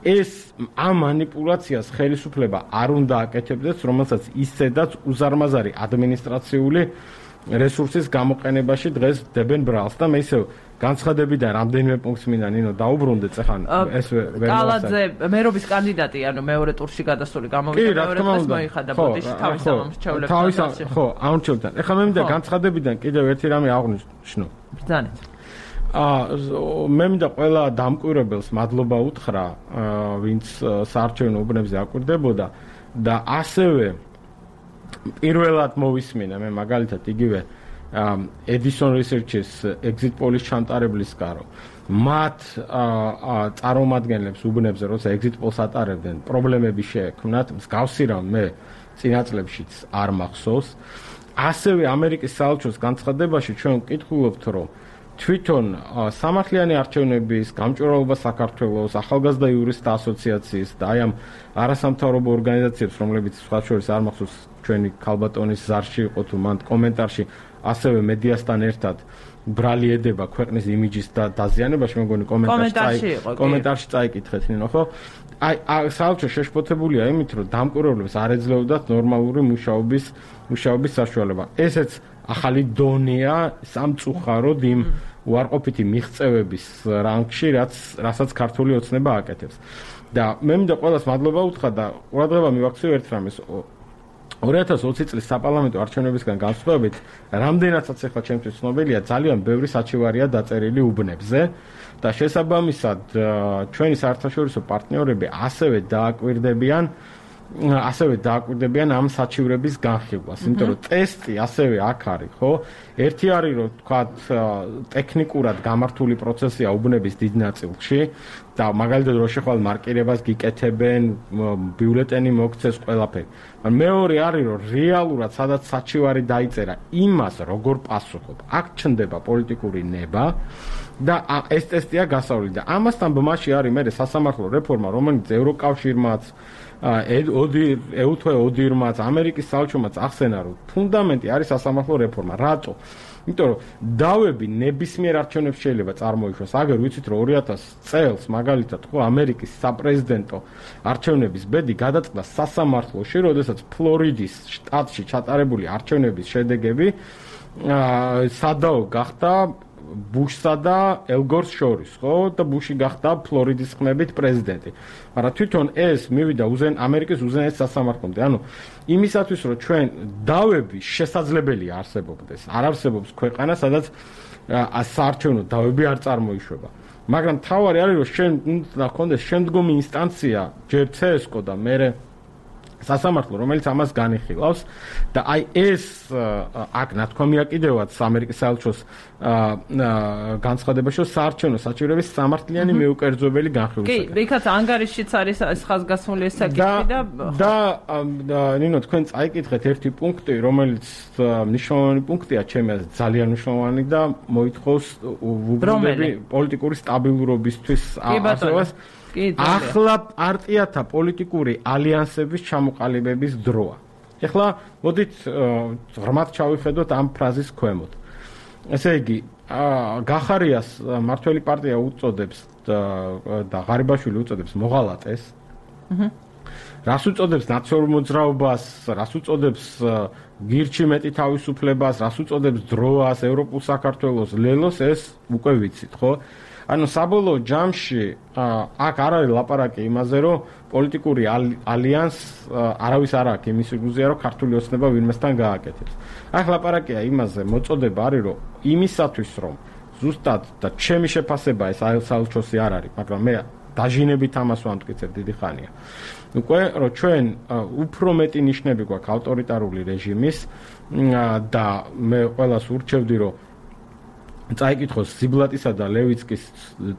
ეს ამ манипуляციას ხელისუფლება არ უნდა აკეთებდეს, რომელსაც ისედაც უზარმაზარი ადმინისტრაციული რესურსის გამოყენებაში დღეს დებენ ბრალს და მე ისევ განცხადებიდან რამდენიმე პუნქტს მინდა ნინო დაუბრუნდეთ ახლა ეს ვერ კალაძე მერობის კანდიდატი ანუ მეორე ტურში გადასული გამოვიდა მეორე დღეს მოიხადა ბოდიში თავის ამორჩევლებთან ხო ამორჩევლებთან ახლა მე მინდა განცხადებიდან კიდევ ერთი რამე აღვნიშნო ბრძანეთ მე მინდა ყველა დამკვირვებელს მადლობა უთხრა ვინც საარჩევნო უბნებზე აკვირდებოდა და ასევე პირველად მოვისმინა მე მაგალითად იგივე Edison Research-ის exit polls ჩამტარებლის გარო მათ წარმომადგენლებს უბნებზე როცა exit polls ატარებდნენ პრობლემები შეექმნათ მსგავსი რამ მე წინა წლებშიც არ მახსოვს ასევე ამერიკის საელჩოს განცხადებაში ჩვენ ვკითხულობთ რომ თვითონ სამართლიანი არჩევნების გამჭვირვალობა საქართველოს ახალგაზრდა იურისტთა ასოციაციის და აი ამ არასამთავრობო ორგანიზაციებს რომლებიც სხვა შორის არ მახსოვს ჩვენი ქალბატონის ზარში იყო თუ მან კომენტარში ასევე მედიასთან ერთად ბრალი ედება ქვეყნის იმიჯის და დაზიანებაში მე მგონი კომენტარში წაიკითხეთ ნინო ხო აი საელჩო შეშფოთებულია იმით რომ დამკვირვებლებს არ ეძლეოდათ ნორმალური მუშაობის საშუალება ესეც ახალი დონეა სამწუხაროდ იმ უარყოფითი მიღწევების რანგში რასაც ქართული ოცნება აკეთებს და მე მინდა ყველას მადლობა უთხრა და ყურადღება მივაქციო ერთ რამეს 2020 წლის საპარლამენტო არჩევნებისგან განსხვავებით რამდენადაც ახლა ჩემთვის ცნობილია ძალიან ბევრი საჩივარია დაწერილი უბნებზე და შესაბამისად ჩვენი საერთაშორისო პარტნიორები ასევე დააკვირდებიან ამ საჩივრების განხილვას, იმიტომ რომ ტესტი ასევე აქ არის, ხო? ერთი არის რომ თქვათ ტექნიკურად გამართული პროცესია უბნების დიდ ნაწილში და მაგალითად რო შეხვალ მარკირებას გიკეთებენ, ბიულეტენი მოგცეს ყველაფერი. მეორე არის რომ რეალურად სადაც საჩივარი დაიწერა, იმას როგორ პასუხობ. აქ ჩნდება პოლიტიკური ნება და ეს ტესტია გასავლელი და ამასთან ბმაში არის მე სასამართლო რეფორმა, რომელიც ევროკავშირმაც ოდირმაც ამერიკის საელჩომაც ახსენა რომ ფუნდამენტი არის სასამართლო რეფორმა. რატო? იმიტომ რომ დავები ნებისმიერ არჩევნებს შეიძლება წარმოიშვას. აგერ ვიცით რომ 2000 წელს მაგალითად ხო ამერიკის საპრეზიდენტო არჩევნების ბედი გადაწყდა სასამართლოში, როდესაც ფლორიდის შტატში ჩატარებული არჩევნების შედეგები სადაო გახდა ბუშსა და ელგორს შორის, ხო? და ბუში გახდა ფლორიდის ხმებით პრეზიდენტი. მაგრამ თვითონ ეს მივიდა ამერიკის უზენაეს სასამართლომდე. ანუ იმისათვის, რომ ჩვენ დავები შესაძლებელია არსებობდეს. არ არსებობს ქვეყანა, სადაც საარჩევნო დავები არ წარმოიშვება. მაგრამ თავარი არის, რომ შენ უნდა გქონდეს შემდგომი ინსტანცია, ჯერ CSKO და მერე სასამართლო, რომელიც ამას განიხილავს და აი ეს აქ ნათქვამია კიდევაც ამერიკის საელჩოს განცხადებაში, რომ საარჩევნო საჩივრების სამართლიანი მეუკერძობელი განხილვისაკენ. კი, იქაც ანგარიშიც არის ხაზგასმული ეს საკითხი და ნინო თქვენ წაიკითხეთ ერთი პუნქტი, რომელიც მნიშვნელოვანი პუნქტია, ჩემი აზრით ძალიან მნიშვნელოვანი და მოითხოვს უბრალოდ პოლიტიკური სტაბილურობისთვის ასევას. ახლა პარტიათა პოლიტიკური ალიანსების ჩამოყალიბების დროა. ეხლა მოდით ღრმად ჩავიხედოთ ამ ფრაზის ქვემოთ. ესე იგი, გახარიას მართველი პარტია უწოდებს და ღარიბაშვილი უწოდებს მოღალატეს. რას უწოდებს ნაციონალურ მოძრაობას, რას უწოდებს გირჩი მეტი თავისუფლებას, რას უწოდებს დროას, ევროპულ საქართველოს, ლელოს, ეს უკვე ვიცით, ხო? ანუ საბოლოო ჯამში აქ არ არის ლაპარაკი იმაზე, რომ პოლიტიკური ალიანს არავის არ აქვს იმის იგუზია, რომ ქართული ოცნება ვინმესთან გააკეთებს. აქ ლაპარაკია იმაზე, მოწოდება არის, რომ იმისათვის, რომ ზუსტად და ჩემი შეფასება ეს საელჩოსი არ არის, მაგრამ მე დაჟინებით ამას ვამტკიცებ დიდი ხანია. უკვე რომ ჩვენ უფრო მეტი ნიშნები გვაქვს ავტორიტარული რეჟიმის და მე ყველას ურჩევდი, რომ წაიკითხოს ზიბლატისა და ლევიცკის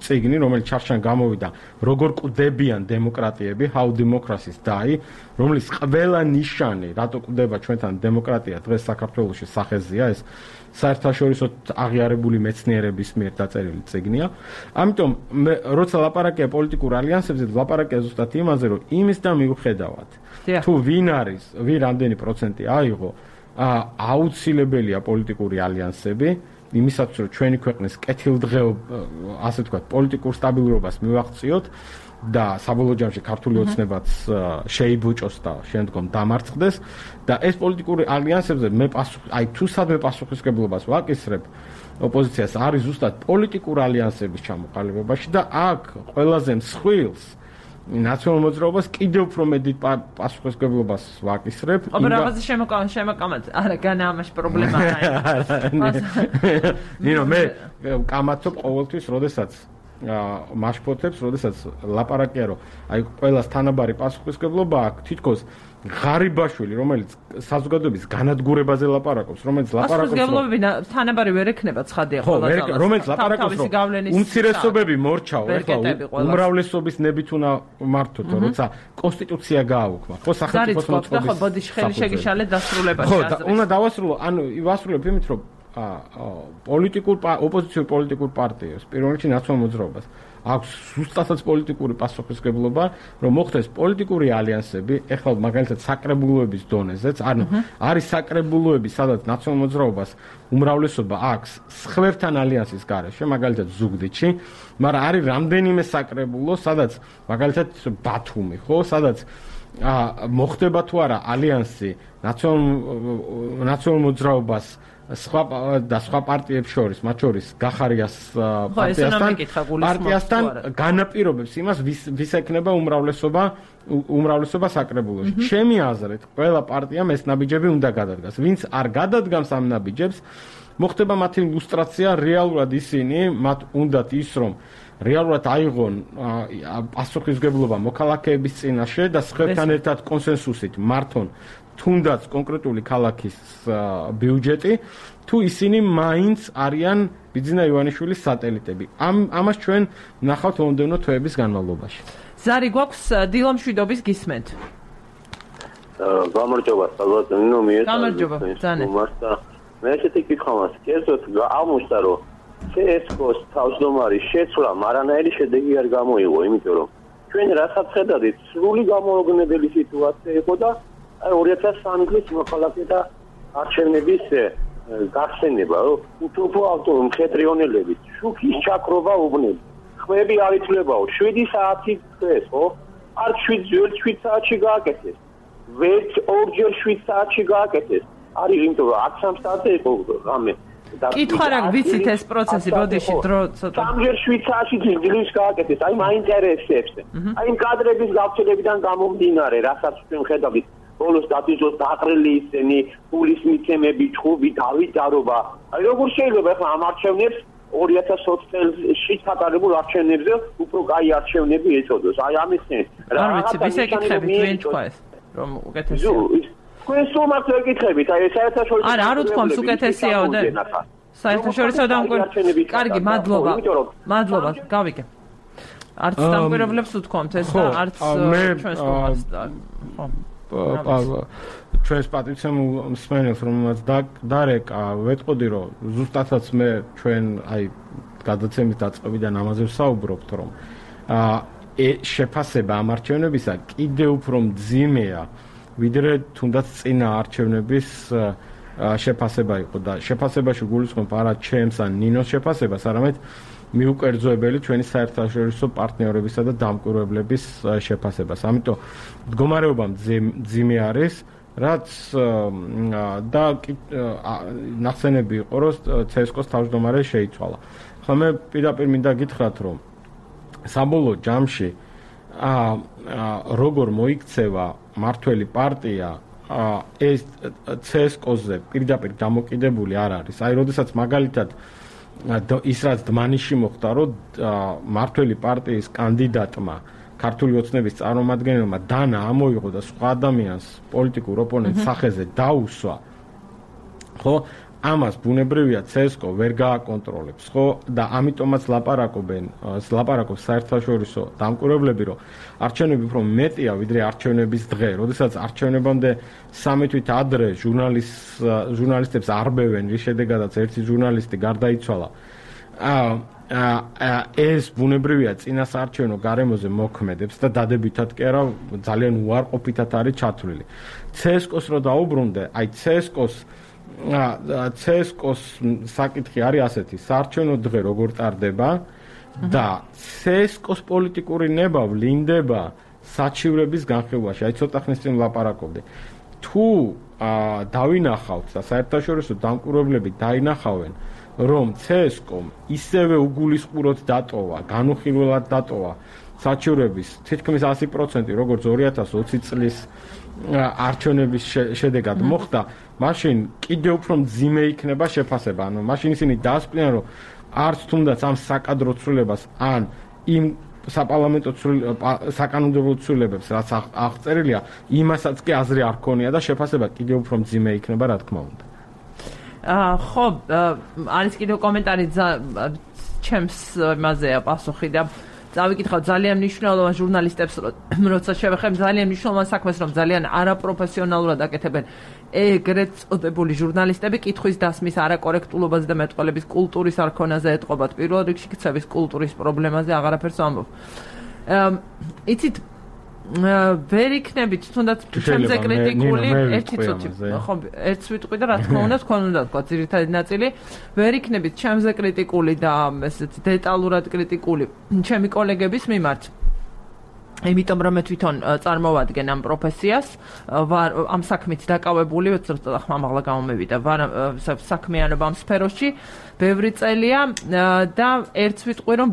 წიგნი, რომელიც ჩარჩან გამოვიდა, როგორ კვდებიან დემოკრატიები, How Democracies Die, რომლის ყველა ნიშანი, რატო კვდება ჩვენთან დემოკრატია დღეს საქართველოში სახეზია, ეს საერთაშორისო აღიარებული მეცნიერების მიერ დაწერილი წიგნია. ამიტომ როცა ლაპარაკია პოლიტიკურ ალიანსებზე, ლაპარაკია ზუსტად იმაზე, რომ იმის და მიუხედავად, თუ ვინ არის, ვინ რამდენი პროცენტი აიღო, აუცილებელია პოლიტიკური ალიანსები. იმისათვის რომ ჩვენი ქვეყნის კეთილდღეობა, ასე ვთქვათ, პოლიტიკურ სტაბილურობას მივაღწიოთ და საბოლოო ჯამში ქართული ოცნებაც შეიბუჭოს და შემდგომ დამარცხდეს და ეს პოლიტიკური ალიანსებზე მე თუ სადმე პასუხისმგებლობას ვაკისრებ ოპოზიციას არის ზუსტად პოლიტიკურ ალიანსების ჩამოყალიბებაში და აქ ყველაზე მსხვილს ნაციონალურ მოძრაობას კიდევ უფრო მეტი პასუხისმგებლობას ვაკისრებ. აბა რაღაცა შემოკამათ. არა, განა ამაში პრობლემა არა. ნინო, მე კამათობ ყოველთვის, როდესაც მაშფოთებს, როდესაც ლაპარაკია, რომ აი ყველას თანაბარი პასუხისმგებლობა აქვს, თითქოს ღარიბაშვილი, რომელიც საზოგადოების განადგურებაზე ლაპარაკობს, რომელიც ლაპარაკობს, პასუხისმგებლობები თანაბარი ვერ ექნება ცხადია ყველა. რომელიც ლაპარაკობს, რომ უმცირესობები მორჩაო, ეხლა უმრავლესობის ნებით უნდა მართოთ, როცა კონსტიტუცია გააუქმა. ხო, სახელმწიფოს მოწყობის. ხო, ბოდიში ხელი შეგიშალეთ დასრულებაში. ხო, და უნდა დავასრულო, ანუ ვასრულებ იმით, რომ ოპოზიციურ პოლიტიკურ პარტიებს, პირველ რიგში ნაციონალურ მოძრაობას აქვს ზუსტადაც პოლიტიკური პასუხისმგებლობა, რომ მოხდეს პოლიტიკური ალიანსები, ეხლა მაგალითად საკრებულოების დონეზეც, ანუ არის საკრებულოები, სადაც ნაციონალურ მოძრაობას უმრავლესობა აქვს სხვებთან ალიანსის გარეშე, მაგალითად ზუგდიდში, მაგრამ არის რამდენიმე საკრებულო, სადაც მაგალითად ბათუმი, ხო, სადაც მოხდება თუ არა ალიანსი ნაციონალურ მოძრაობას სხვა პარტიებს შორის, მათ შორის გახარიას პარტიასთან განაპირობებს იმას, ვის ექნება უმრავლესობა საკრებულოში. ჩემი აზრით, ყველა პარტიამ ეს ნაბიჯები უნდა გადადგას. ვინც არ გადადგამს ამ ნაბიჯებს, მოხდება მათი ილუსტრაცია, რეალურად ისინი, მათ უნდათ ის, რომ რეალურად აიღონ პასუხისმგებლობა მოქალაქეების წინაშე და სხვებთან ერთად კონსენსუსით მართონ თუნდაც კონკრეტული ქალაქის ბიუჯეტი, თუ ისინი მაინც არიან ბიძინა ივანიშვილის სატელიტები. ამას ჩვენ ნახავთ მომდევნო თვეების განმავლობაში. ზარი გვაქვს დილამშვიდობის გისმენთ. გამარჯობა, საბოლოო გამარჯობა, ძანე. მე ესეთი კითხვა მაქვს, კერძოდ აღმოჩნდა, რომ CSKO-ს თავმჯდომარის შეცვლა მარანაირი შედეგი არ გამოიღო, იმიტომ რომ ჩვენ რასაც ხედავთ, სრული გამოუგნებელი სიტუაცია იყო და 2003 წლის მოქალაქეთა არჩევნების გახსენება, უფრო ავტორ მხედრიონელებით, შუქის ჩაქრობა უბნელი. ხმები არ ითვლებაო, 7 საათი დღეს, ხო? არ 7 საათში გააკეთეს. ვერც ორჯერ 7 საათში გააკეთეს. არის იმიტომ რომ 13 საათზე იყო რამე. კითხვა რა ვიცით ეს პროცესი, ბოდიში დრო ცოტა. სამჯერ 7 საათში ძილს გააკეთეს. აი მაინტერესებს. აი იმ კადრების გავრცელებიდან გამომდინარე, რასაც ჩვენ ხედავთ ბოლოს დატვირთოს დაყრილი ისინი, ფულის მიცემები, ჩხუბი, დავიტარობა. აი როგორ შეიძლება ახლა ამ არჩევნებს 2020 წელს ჩატარებულ არჩევნებზე უფრო კაი არჩევნები ეწოდოს. აი ამის რა ვიცი, ვის ეკითხებით, ვინ თქვა ეს, რომ უკეთესია. თქვენ სულ მას ეკითხებით, აი საერთაშორისო არა, არ უთქვამს უკეთესიაო და საერთაშორისო დამკვირვებლებს. კარგი, მადლობა. მადლობა, გავიგე. არც დამკვირვებლებს უთქვამთ ეს და არც ჩვენს კომას და ხო. ჩვენს პატივცემულ მსმენელს, რომელმაც დარეკა, ვეტყოდი, რომ ზუსტადაც მე ჩვენ აი გადაცემის დაწყებიდან ამაზე ვსაუბრობთ, რომ შეფასება ამ არჩევნებისა კიდევ უფრო მძიმეა, ვიდრე თუნდაც წინა არჩევნების შეფასება იყო და შეფასებაში გულისხმობ არა ჩემს ან ნინოს შეფასებას, არამედ მიუკერძოებელი ჩვენი საერთაშორისო პარტნიორებისა და დამკვირვებლების შეფასებას. ამიტომ მდგომარეობა მძიმე არის, რაც და ნახსენები იყო, რომ CSKA-ს თავმჯდომარე შეიცვალა. ხლა მე პირდაპირ მინდა გითხრათ, რომ საბოლოო ჯამში როგორ მოიქცევა მართველი პარტია ეს CSKA-ზე პირდაპირ დამოკიდებული არ არის. აი, როდესაც მაგალითად ის რაც დმანიში მოხდა, რომ მართველი პარტიის კანდიდატმა ქართული ოცნების წარმომადგენელმა დანა ამოიღო და სხვა ადამიანს პოლიტიკურ ოპონენტს სახეზე დაუსვა, ხო? ამას ბუნებრივია CSKA ვერ გააკონტროლებს, ხო? და ამიტომაც ლაპარაკობს საერთაშორისო დამკვირვებლები, რომ არჩევნები უფრო მეტია ვიდრე არჩევნების დღე, როდესაც არჩევნებამდე 3 თვით ადრე ჟურნალისტებს არბევენ, რის შედეგადაც ერთი ჟურნალისტი გარდაიცვალა. ეს ბუნებრივია წინასაარჩევნო გარემოზე მოქმედებს და დადებითად კი არა, ძალიან უარყოფითად არის ჩათვლილი. CSKA-ს რო დაუბრუნდე, აი CSKA-ს საკითხი არის ასეთი, საარჩევნო დღე როგორ ტარდება და CSKA-ს პოლიტიკური ნება ვლინდება საჩივრების განხილვაში. აი ცოტა ხნის წინ ვლაპარაკობდი. თუ დავინახავთ და საერთაშორისო დამკვირვებლები დაინახავენ, რომ CSKA-მ ისევე უგულისხმურად დატოვა, განუხილველად დატოვა საჩივრების თითქმის 100%, როგორც 2020 წლის არჩევნების შედეგად მოხდა, მაშინ კიდევ უფრო მძიმე იქნება შეფასება. ანუ მაშინ ისინი დაასკვნენ, რომ არც თუნდაც ამ საკადრო ცვლილებას ან იმ საპარლამენტო საკანონმდებლო ცვლილებებს, რაც აღწერილია, იმასაც კი აზრი არ ქონია და შეფასება კიდევ უფრო მძიმე იქნება, რა თქმა უნდა. ხო, არის კიდევ კომენტარი ჩემს იმაზეა პასუხი და წავიკითხავ ძალიან მნიშვნელოვან ჟურნალისტებს, როცა შევეხებ ძალიან მნიშვნელოვან საქმეს, რომ ძალიან არაპროფესიონალურად აკეთებენ ეგრეთ წოდებული ჟურნალისტები კითხვის დასმის არაკორექტულობაზე და მეტყველების კულტურის არქონაზე ეტყობათ. პირველ რიგში ქცევის კულტურის პრობლემაზე აღარაფერს ვამბობ. იცით ვერ იქნებით თუნდაც ჩემზე კრიტიკული ერთი წუთი ხო ერთ ვიტყვი და რა თქმა უნდა თქვენ უნდა თქვა ძირითადი ნაწილი ვერ იქნებით ჩემზე კრიტიკული და ესეთი დეტალურად კრიტიკული ჩემი კოლეგების მიმართ იმიტომ რომ მე თვითონ წარმოვადგენ ამ პროფესიას ვარ ამ საქმით დაკავებული ცოტა ხმამაღლა გამომევიდა ვარ საქმიანობა ამ სფეროში ბევრი წელია და ერთ ვიტყვი რომ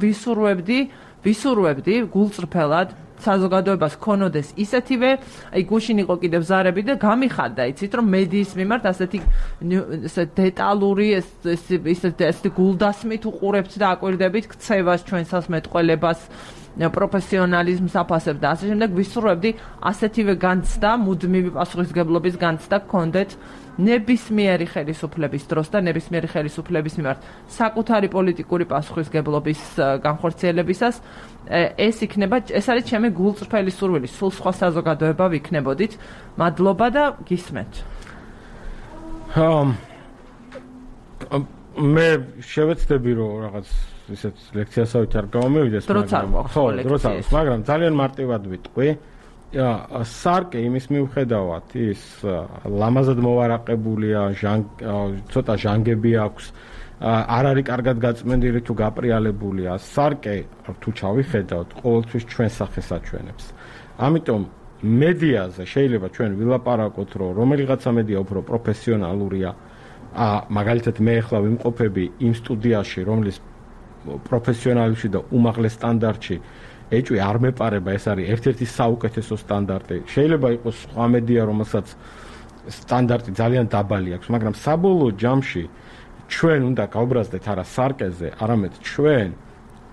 ვისურვებდი გულწრფელად საზოგადოებას ქონოდეს ისეთივე, აი გუშინ იყო კიდევ ზარები და გამიხარდა, იცით რომ მედიის მიმართ ასეთი დეტალური ესეთი გულდასმით უყურებთ და აკვირდებით ქცევას, ჩვენსას მეტყველებას, პროფესიონალიზმს აფასებთ და ასე შემდეგ ვისურვებდი ასეთივე განცდა, მუდმივი პასუხისმგებლობის განცდა გქონდეთ ნებისმიერი ხელისუფლების დროს და ნებისმიერი ხელისუფლების მიმართ საკუთარი პოლიტიკური პასუხისმგებლობის განხორციელებისას ეს არის ჩემი გულწრფელი სურვილი, სულ სხვა საზოგადოება ვიქნებოდით. მადლობა და გისმენთ. მე შევეცდები რომ რაღაც ისეთ ლექციასავით არ გამომივიდეს, მაგრამ ძალიან მარტივად ვიტყვი. სარკე იმის მიუხედავად ის ლამაზად მოვარაყებულია, ცოტა ჟანგები აქვს, არ არის კარგად გაწმენდილი თუ გაპრიალებულია. სარკე თუ ჩავიხედავთ, ყოველთვის ჩვენ სახეს აჩვენებს. ამიტომ მედიაზე შეიძლება ჩვენ ვილაპარაკოთ, რომ რომელიღაცა მედია უფრო პროფესიონალურია. მაგალითად მე ახლა ვიმყოფები იმ სტუდიაში, რომლის პროფესიონალებში და უმაღლეს სტანდარტში ეჭვი არ მეპარება, ეს არის ერთ-ერთი საუკეთესო სტანდარტი. შეიძლება იყოს სხვა მედია, რომელსაც სტანდარტი ძალიან დაბალი აქვს, მაგრამ საბოლოო ჯამში ჩვენ უნდა გავბრაზდეთ არა სარკეზე, არამედ ჩვენ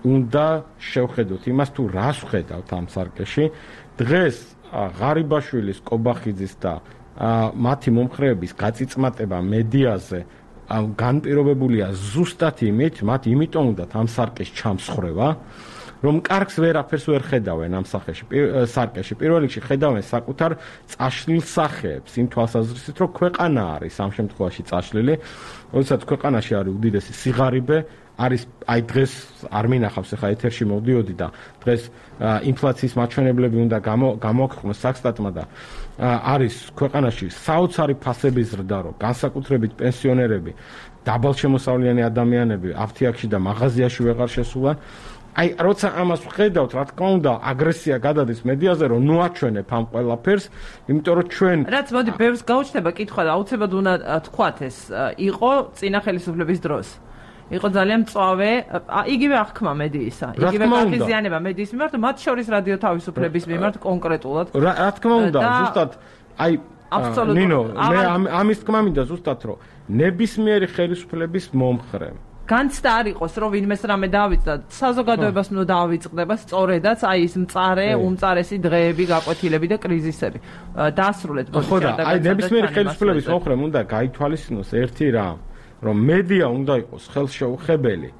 უნდა შევხედოთ იმას, თუ რას ვხედავთ ამ სარკეში. დღეს ღარიბაშვილის, კობახიძის და მათი მომხრეების გაწიწმატება მედიაზე განპირობებულია ზუსტად იმით, მათ იმიტომ უნდათ ამ სარკეს ჩამსხრევა, რომ კარგს ვერაფერს ვერ ხედავენ ამ სარკეში. პირველ რიგში ხედავენ საკუთარ წაშლილ სახეებს, იმ თვალსაზრისით, რომ ქვეყანა არის ამ შემთხვევაში წაშლილი, როდესაც ქვეყანაში არის უდიდესი სიღარიბე, არის აი დღეს არ მინახავს, ახლა ეთერში მოვდიოდი და დღეს ინფლაციის მაჩვენებლები უნდა გამოაქვეყნოს საქსტატმა და არის ქვეყანაში საოცარი ფასების ზრდა, რომ განსაკუთრებით პენსიონერები დაბალშემოსავლიანი ადამიანები აფთიაქში და მაღაზიაში ვეღარ შესულან. აი, როცა ამას ვხედავთ, რა თქმა უნდა, აგრესია გადადის მედიაზე, რომ ნუ აჩვენებ ამ ყველაფერს, იმიტომ რომ ჩვენ რაც მოდი, ბევრს გაუჩნდება კითხვა და აუცილებლად უნდა თქვათ ეს იყო წინა ხელისუფლების დროს. იყო ძალიან მწვავე, იგივე აღქმა მედიისა, იგივე გაღიზიანება მედიის მიმართ, მათ შორის რადიო თავისუფლების მიმართ კონკრეტულად. რა თქმა უნდა, ზუსტად აი ნინო, მე ამის თქმა მინდა ზუსტად, რომ ნებისმიერი ხელისუფლების მომხრე განცდა არ იყოს, რომ ვინმეს რამე დაავიწყდა, საზოგადოებას უნდა დაავიწყდება სწორედაც აი ის მწარე, უმწარესი დღეები, გაკვეთილები და კრიზისები. დაასრულეთ ბოდიშა და აი ნებისმიერი ხელისუფლების მომხრე უნდა გაითვალისწინოს ერთი რამ, რომ მედია უნდა იყოს ხელშეუხებელი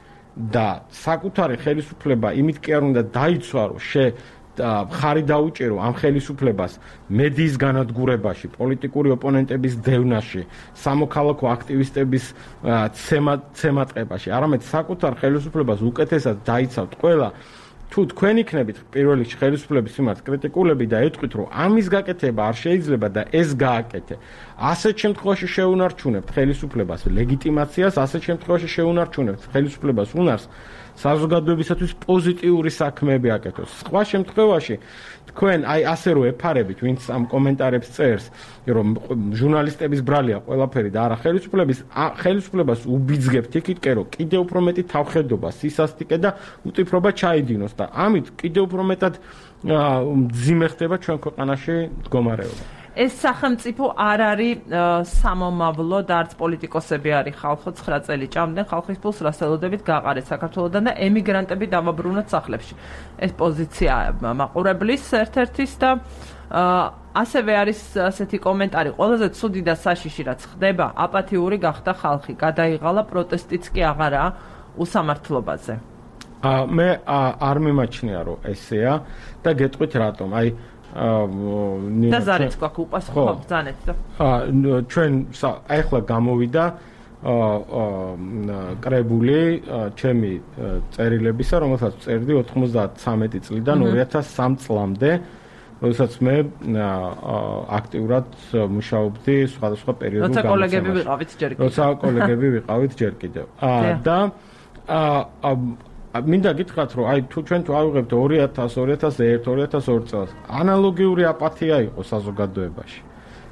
და საკუთარი ხელისუფლება იმით კი არ უნდა დაიცვა, რომ ხარი დაუჭირო ამ ხელისუფლებას მედიის განადგურებაში, პოლიტიკური ოპონენტების დევნაში, სამოქალაქო აქტივისტების ცემატყებაში, არამედ საკუთარ ხელისუფლებას უკეთესად დაიცავთ ყველა. თუ თქვენ იქნებით პირველ რიგში ხელისუფლების მიმართ კრიტიკულები და ეტყვით, რომ ამის გაკეთება არ შეიძლება და ეს გააკეთე, ასეთ შემთხვევაში შეუნარჩუნებთ ხელისუფლებას ლეგიტიმაციას, ასეთ შემთხვევაში შეუნარჩუნებთ ხელისუფლებას უნარს საზოგადოებისათვის პოზიტიური საქმეები აკეთოს. სხვა შემთხვევაში თქვენ აი ასე რომ ეფარებით, ვინც ამ კომენტარებს წერს, რომ ჟურნალისტების ბრალია ყველაფერი და არა ხელისუფლებას უბიძგებთ იქითკენ, რომ კიდევ უფრო მეტი თავხედობა, სისასტიკე და უწიფრობა ჩაიდინოს და ამით კიდევ უფრო მეტად მძიმე ხდება ჩვენ ქვეყანაში მდგომარეობა. ეს სახელმწიფო არ არის სამომავლო და არც პოლიტიკოსები არის ხალხო 9 წელი ჭამდნენ ხალხის ფულს რასელოდებით გაყარეთ საქართველოდან და ემიგრანტები დავაბრუნოთ სახლებში. ეს პოზიცია მაყურებლის ერთ-ერთის და ასევე არის ასეთი კომენტარი, ყველაზე ცუდი და საშიში რაც ხდება, აპათიური გახდა ხალხი, გადაიღალა პროტესტიც კი აღარაა უსამართლობაზე. მე არ მიმაჩნია რომ ესეა და გეტყვით რატომ. აი და ზარიც გვაქვს უპასუხო ბრძანეთ და ჩვენ ახლა გამოვიდა კრებული ჩემი წერილებისა, რომელსაც წერდი 93 წლიდან 2003 წლამდე, როდესაც მე აქტიურად მუშაობდი სხვადასხვა პერიოდულ გამოცემაში. როცა კოლეგები ვიყავით ჯერ კიდევ. და მინდა გითხრათ, რომ აი თუ ჩვენ თუ ავიღებთ 2000, 2001, 2002 წელს, ანალოგიური აპათია იყო საზოგადოებაში.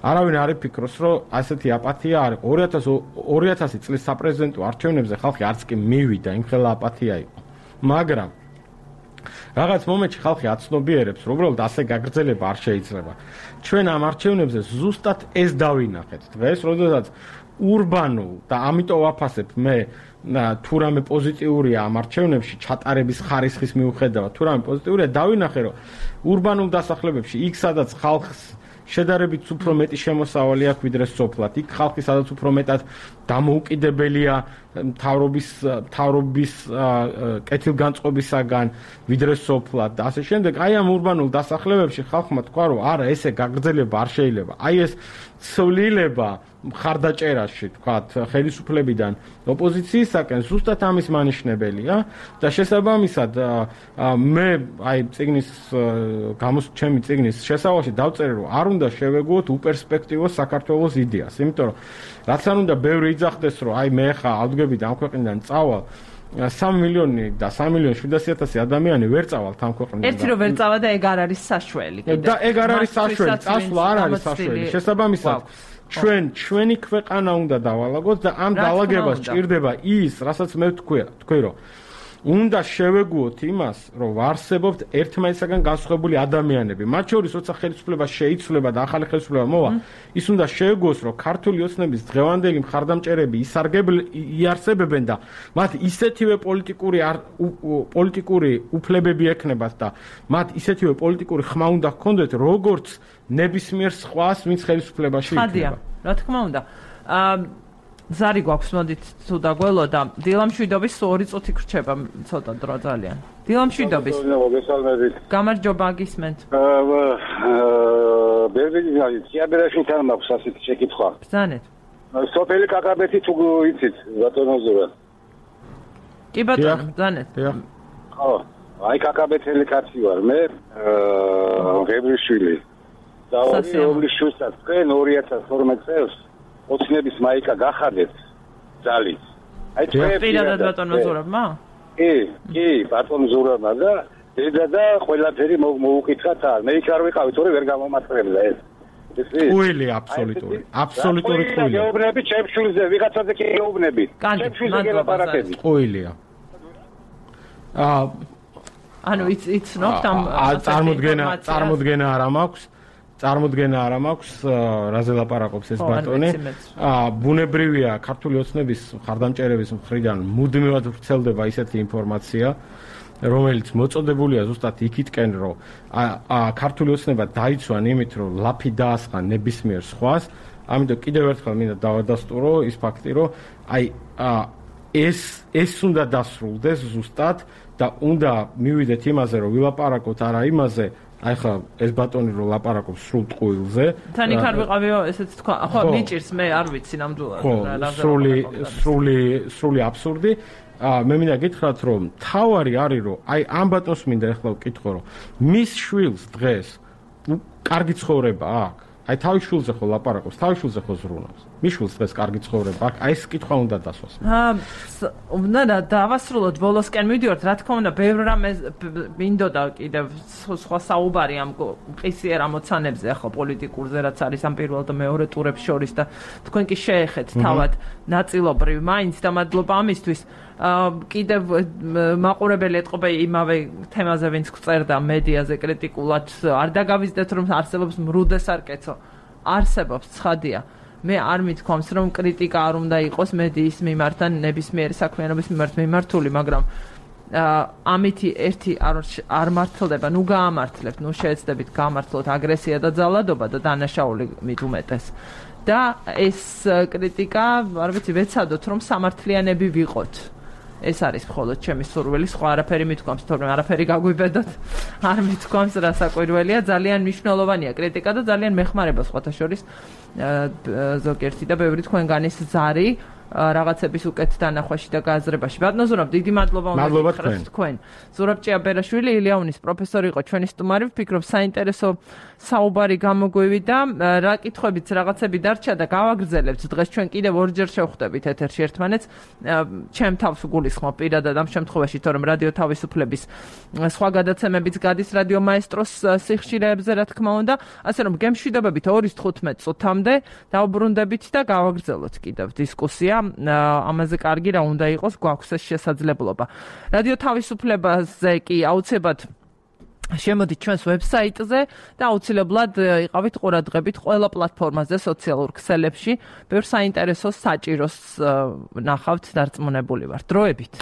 არავინ არ იფიქროს, რომ ასეთი აპათია არის. 2000 წლის საპრეზიდენტო არჩევნებზე ხალხი არც კი მივიდა, იმხელა აპათია იყო. მაგრამ რაღაც მომენტში ხალხი აცნობიერებს, რომ უბრალოდ ასე გაგრძელება არ შეიძლება. ჩვენ ამ არჩევნებზე ზუსტად ეს დავინახეთ. დღეს, როდესაც ურბანულ და ამიტომ ვაფასებ მე თუ რამე პოზიტიურია ამ არჩევნებში ჩატარების ხარისხის მიუხედავად, თუ რამე პოზიტიურია, დავინახე, რომ ურბანულ დასახლებებში იქ სადაც ხალხს შედარებით უფრო მეტი შემოსავალი აქვს ვიდრე სოფლად, იქ ხალხი სადაც უფრო მეტად დამოუკიდებელია მთავრობის კეთილგანწყობისაგან ვიდრე სოფლად და ასე შემდეგ. აი ამ ურბანულ დასახლებებში ხალხმა თქვა, რომ არა, ესე გაგრძელება არ შეიძლება. აი ეს ცვლილება მხარდაჭერაში, თქვათ, ხელისუფლებიდან ოპოზიციისაკენ ზუსტად ამის მანიშნებელია და შესაბამისად მე აი ჩემი წიგნის შესავალში დავწერე, რომ არ უნდა შევეგუოთ უპერსპექტივოს საქართველოს იდეას, იმიტომ რომ რაც არ უნდა ბევრი იძახდეს, რომ აი მე ხა ავდგებით ამ ქვეყნიდან წავალ 3 მილიონი და 3.700.000 ადამიანი ვერ წავალთ ამ ქვეყნიდან. ერთი რომ ვერ წავა და ეგ არ არის საშველი. და ეგ არ არის საშველი, წასვლა არ არის საშველი. შესაბამისად ჩვენი ქვეყანა უნდა დავალაგოთ და ამ დაალაგებას ჭირდება ის, რასაც მე ვთქვი, რომ უნდა შევეგუოთ იმას, რომ ვარსებობთ ერთმანეთისაგან განსხვავებული ადამიანები. მათ შორის, როცა ხელისუფლება შეიცვლება და ახალი ხელისუფლება მოვა, ის უნდა შევეგუოს, რომ ქართული ოცნების დღევანდელი მხარდამჭერები იარსებებენ და მათ ისეთივე პოლიტიკური უფლებები ექნებათ და მათ ისეთივე პოლიტიკური ხმა უნდა ჰქონდეთ, როგორც ნებისმიერ სხვას, ვინც ხელისუფლებაში იქნება. რა თქმა უნდა. ზარი გვაქვს, მოდით თუ დაგველო და დილამშვიდობის 2 წუთი გრჩება ცოტა დრო ძალიან. დილამშვიდობის. გამარჯობა, გისმენთ. ბერბეჯანი, სიაბერაში თან მაქვს ასეთი შეკითხვა. ბრძანეთ. სოფელი კაკაბეთი თუ იცით, ბატონო ზურა. კი ბატონო, ბრძანეთ. ხო, აი კაკაბეთელი კაცი ვარ მე, ღებრიშვილი. და ორი შვილსაც თქვენ 2012 წელს ოცნების მაიკა გახადეთ ძალის. აი პირადად ბატონმა ზურაბმა? კი, ბატონ ზურაბმა და დედა და ყველაფერი მოუკითხათ არ. მე იქ არ ვიყავი, თორე ვერ გამომატყრებდა ეს. ყույლი აბსოლუტური ყույლი. გეუბნები ჩემშვილზე, ვიღაცაზე კი გეუბნები. ჩემშვილზე გელაპარაკები. ყույლია. ანუ იცნობთ ამ წარმოდგენა არ მაქვს რაზე ლაპარაკობს ეს ბატონი. ბუნებრივია ქართული ოცნების მხარდამჭერების მხრიდან მუდმივად ვრცელდება ისეთი ინფორმაცია, რომელიც მოწოდებულია ზუსტად იქითკენ, რომ ქართული ოცნება დაიცვან იმით, რომ ლაფი დაასხა ნებისმიერ სხვას. ამიტომ კიდევ ერთხელ მინდა დავადასტურო ის ფაქტი, რომ ეს უნდა დასრულდეს ზუსტად და უნდა მივიდეთ იმაზე, რომ ვილაპარაკოთ არა იმაზე, აი ხა ეს ბატონი რომ ლაპარაკობს სრულ ტყუილზე. თან იქ არ ვიყავიო, ესეც თქვა. ხო, მიჭირს მე არ ვიცი ნამდვილად რა. სრული აბსურდი. მე მინდა გითხრათ, რომ თავარი არის, რომ აი ამ ბატონს მინდა ახლა ვკითხო, რომ მის შვილს დღეს კარგი ცხოვრება აქვს. აი თავის შვილზე ხო ლაპარაკობს, თავის შვილზე ხო ზრუნავს. მის შვილს დღეს კარგი ცხოვრება აქვს. აი ეს კითხვა უნდა დასვას. უნდა დავასრულოთ ბოლოსკენ მივიდივართ, რა თქმა უნდა, ბევრ რამე მინდოდა კიდევ სხვა საუბარი ამ ყისიერ ამოცანებზე, ახლა პოლიტიკურზე, რაც არის ამ პირველ და მეორე ტურებს შორის და თქვენ კი შეეხეთ თავად ნაწილობრივ მაინც და მადლობა ამისთვის. კიდევ მაყურებელი ეთყობა იმავე თემაზე, ვინც გწერდა მედიაზე კრიტიკულად, არ დაგავიძდეთ, რომ არსებობს მრუდესარკეცო. არსებობს, ცხადია. მე არ მithქვამს, რომ კრიტიკა არ უნდა იყოს მედიის მიმართ და ნებისმიერი საქმიანობის მიმართ მიმართული, მაგრამ ამითი ერთი არ მართლდება, ნუ გაამართლებთ, ნუ შეეცდებით გამართლოთ აგრესია და ძალადობა და დანაშაული მით უმეტეს. და ეს კრიტიკა, არ ვიცი, ვეცადოთ, რომ სამართლიანები ვიყოთ. ეს არის მხოლოდ ჩემი სურვილი, სხვა არაფერი მithქვამს, თორემ არაფერი გაგვიბედოთ. არ მithქვამს, რა საკვირველია, ძალიან მნიშვნელოვანია კრიტიკა და ძალიან მეხმარება სხვათა შორის ზოგიერთი და ბევრი თქვენგანის ზარი რაღაცების უკეთ დანახვაში და გააზრებაში. ბატონო ზურაბ, დიდი მადლობა უნდა გითხრათ თქვენ. ზურაბ ჭიაბერაშვილი, ილიაუნის პროფესორი იყო ჩვენი სტუმარი. ვფიქრობ, საინტერესო საუბარი გამოგვივიდა. რა კითხვებიც რაღაცები დარჩა და გავაგრძელებთ. დღეს ჩვენ კიდევ ორჯერ შევხვდებით ეთერში ერთმანეთს. ჩემ თავს გულისხმობ პირადად ამ შემთხვევაში, თორემ რადიო თავისუფლების სხვა გადაცემებიც გადის რადიო მაესტროს სიხშირეებზე, რა თქმა უნდა. ასე რომ გემშვიდობებით 2:15 წუთამდე დავბრუნდებით და გავაგრძელოთ კიდევ დისკუსია. ამაზე კარგი რა უნდა იყოს, გვაქვს ეს შესაძლებლობა. რადიო თავისუფლებაზე კი აუცილებლად შემოდით ჩვენს ვებსაიტზე და აუცილებლად იყავით ყურადღებით ყველა პლატფორმაზე, სოციალურ ქსელებში. ბევრ საინტერესო საჭიროს ნახავთ, დარწმუნებული ვარ. დროებით.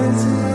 It's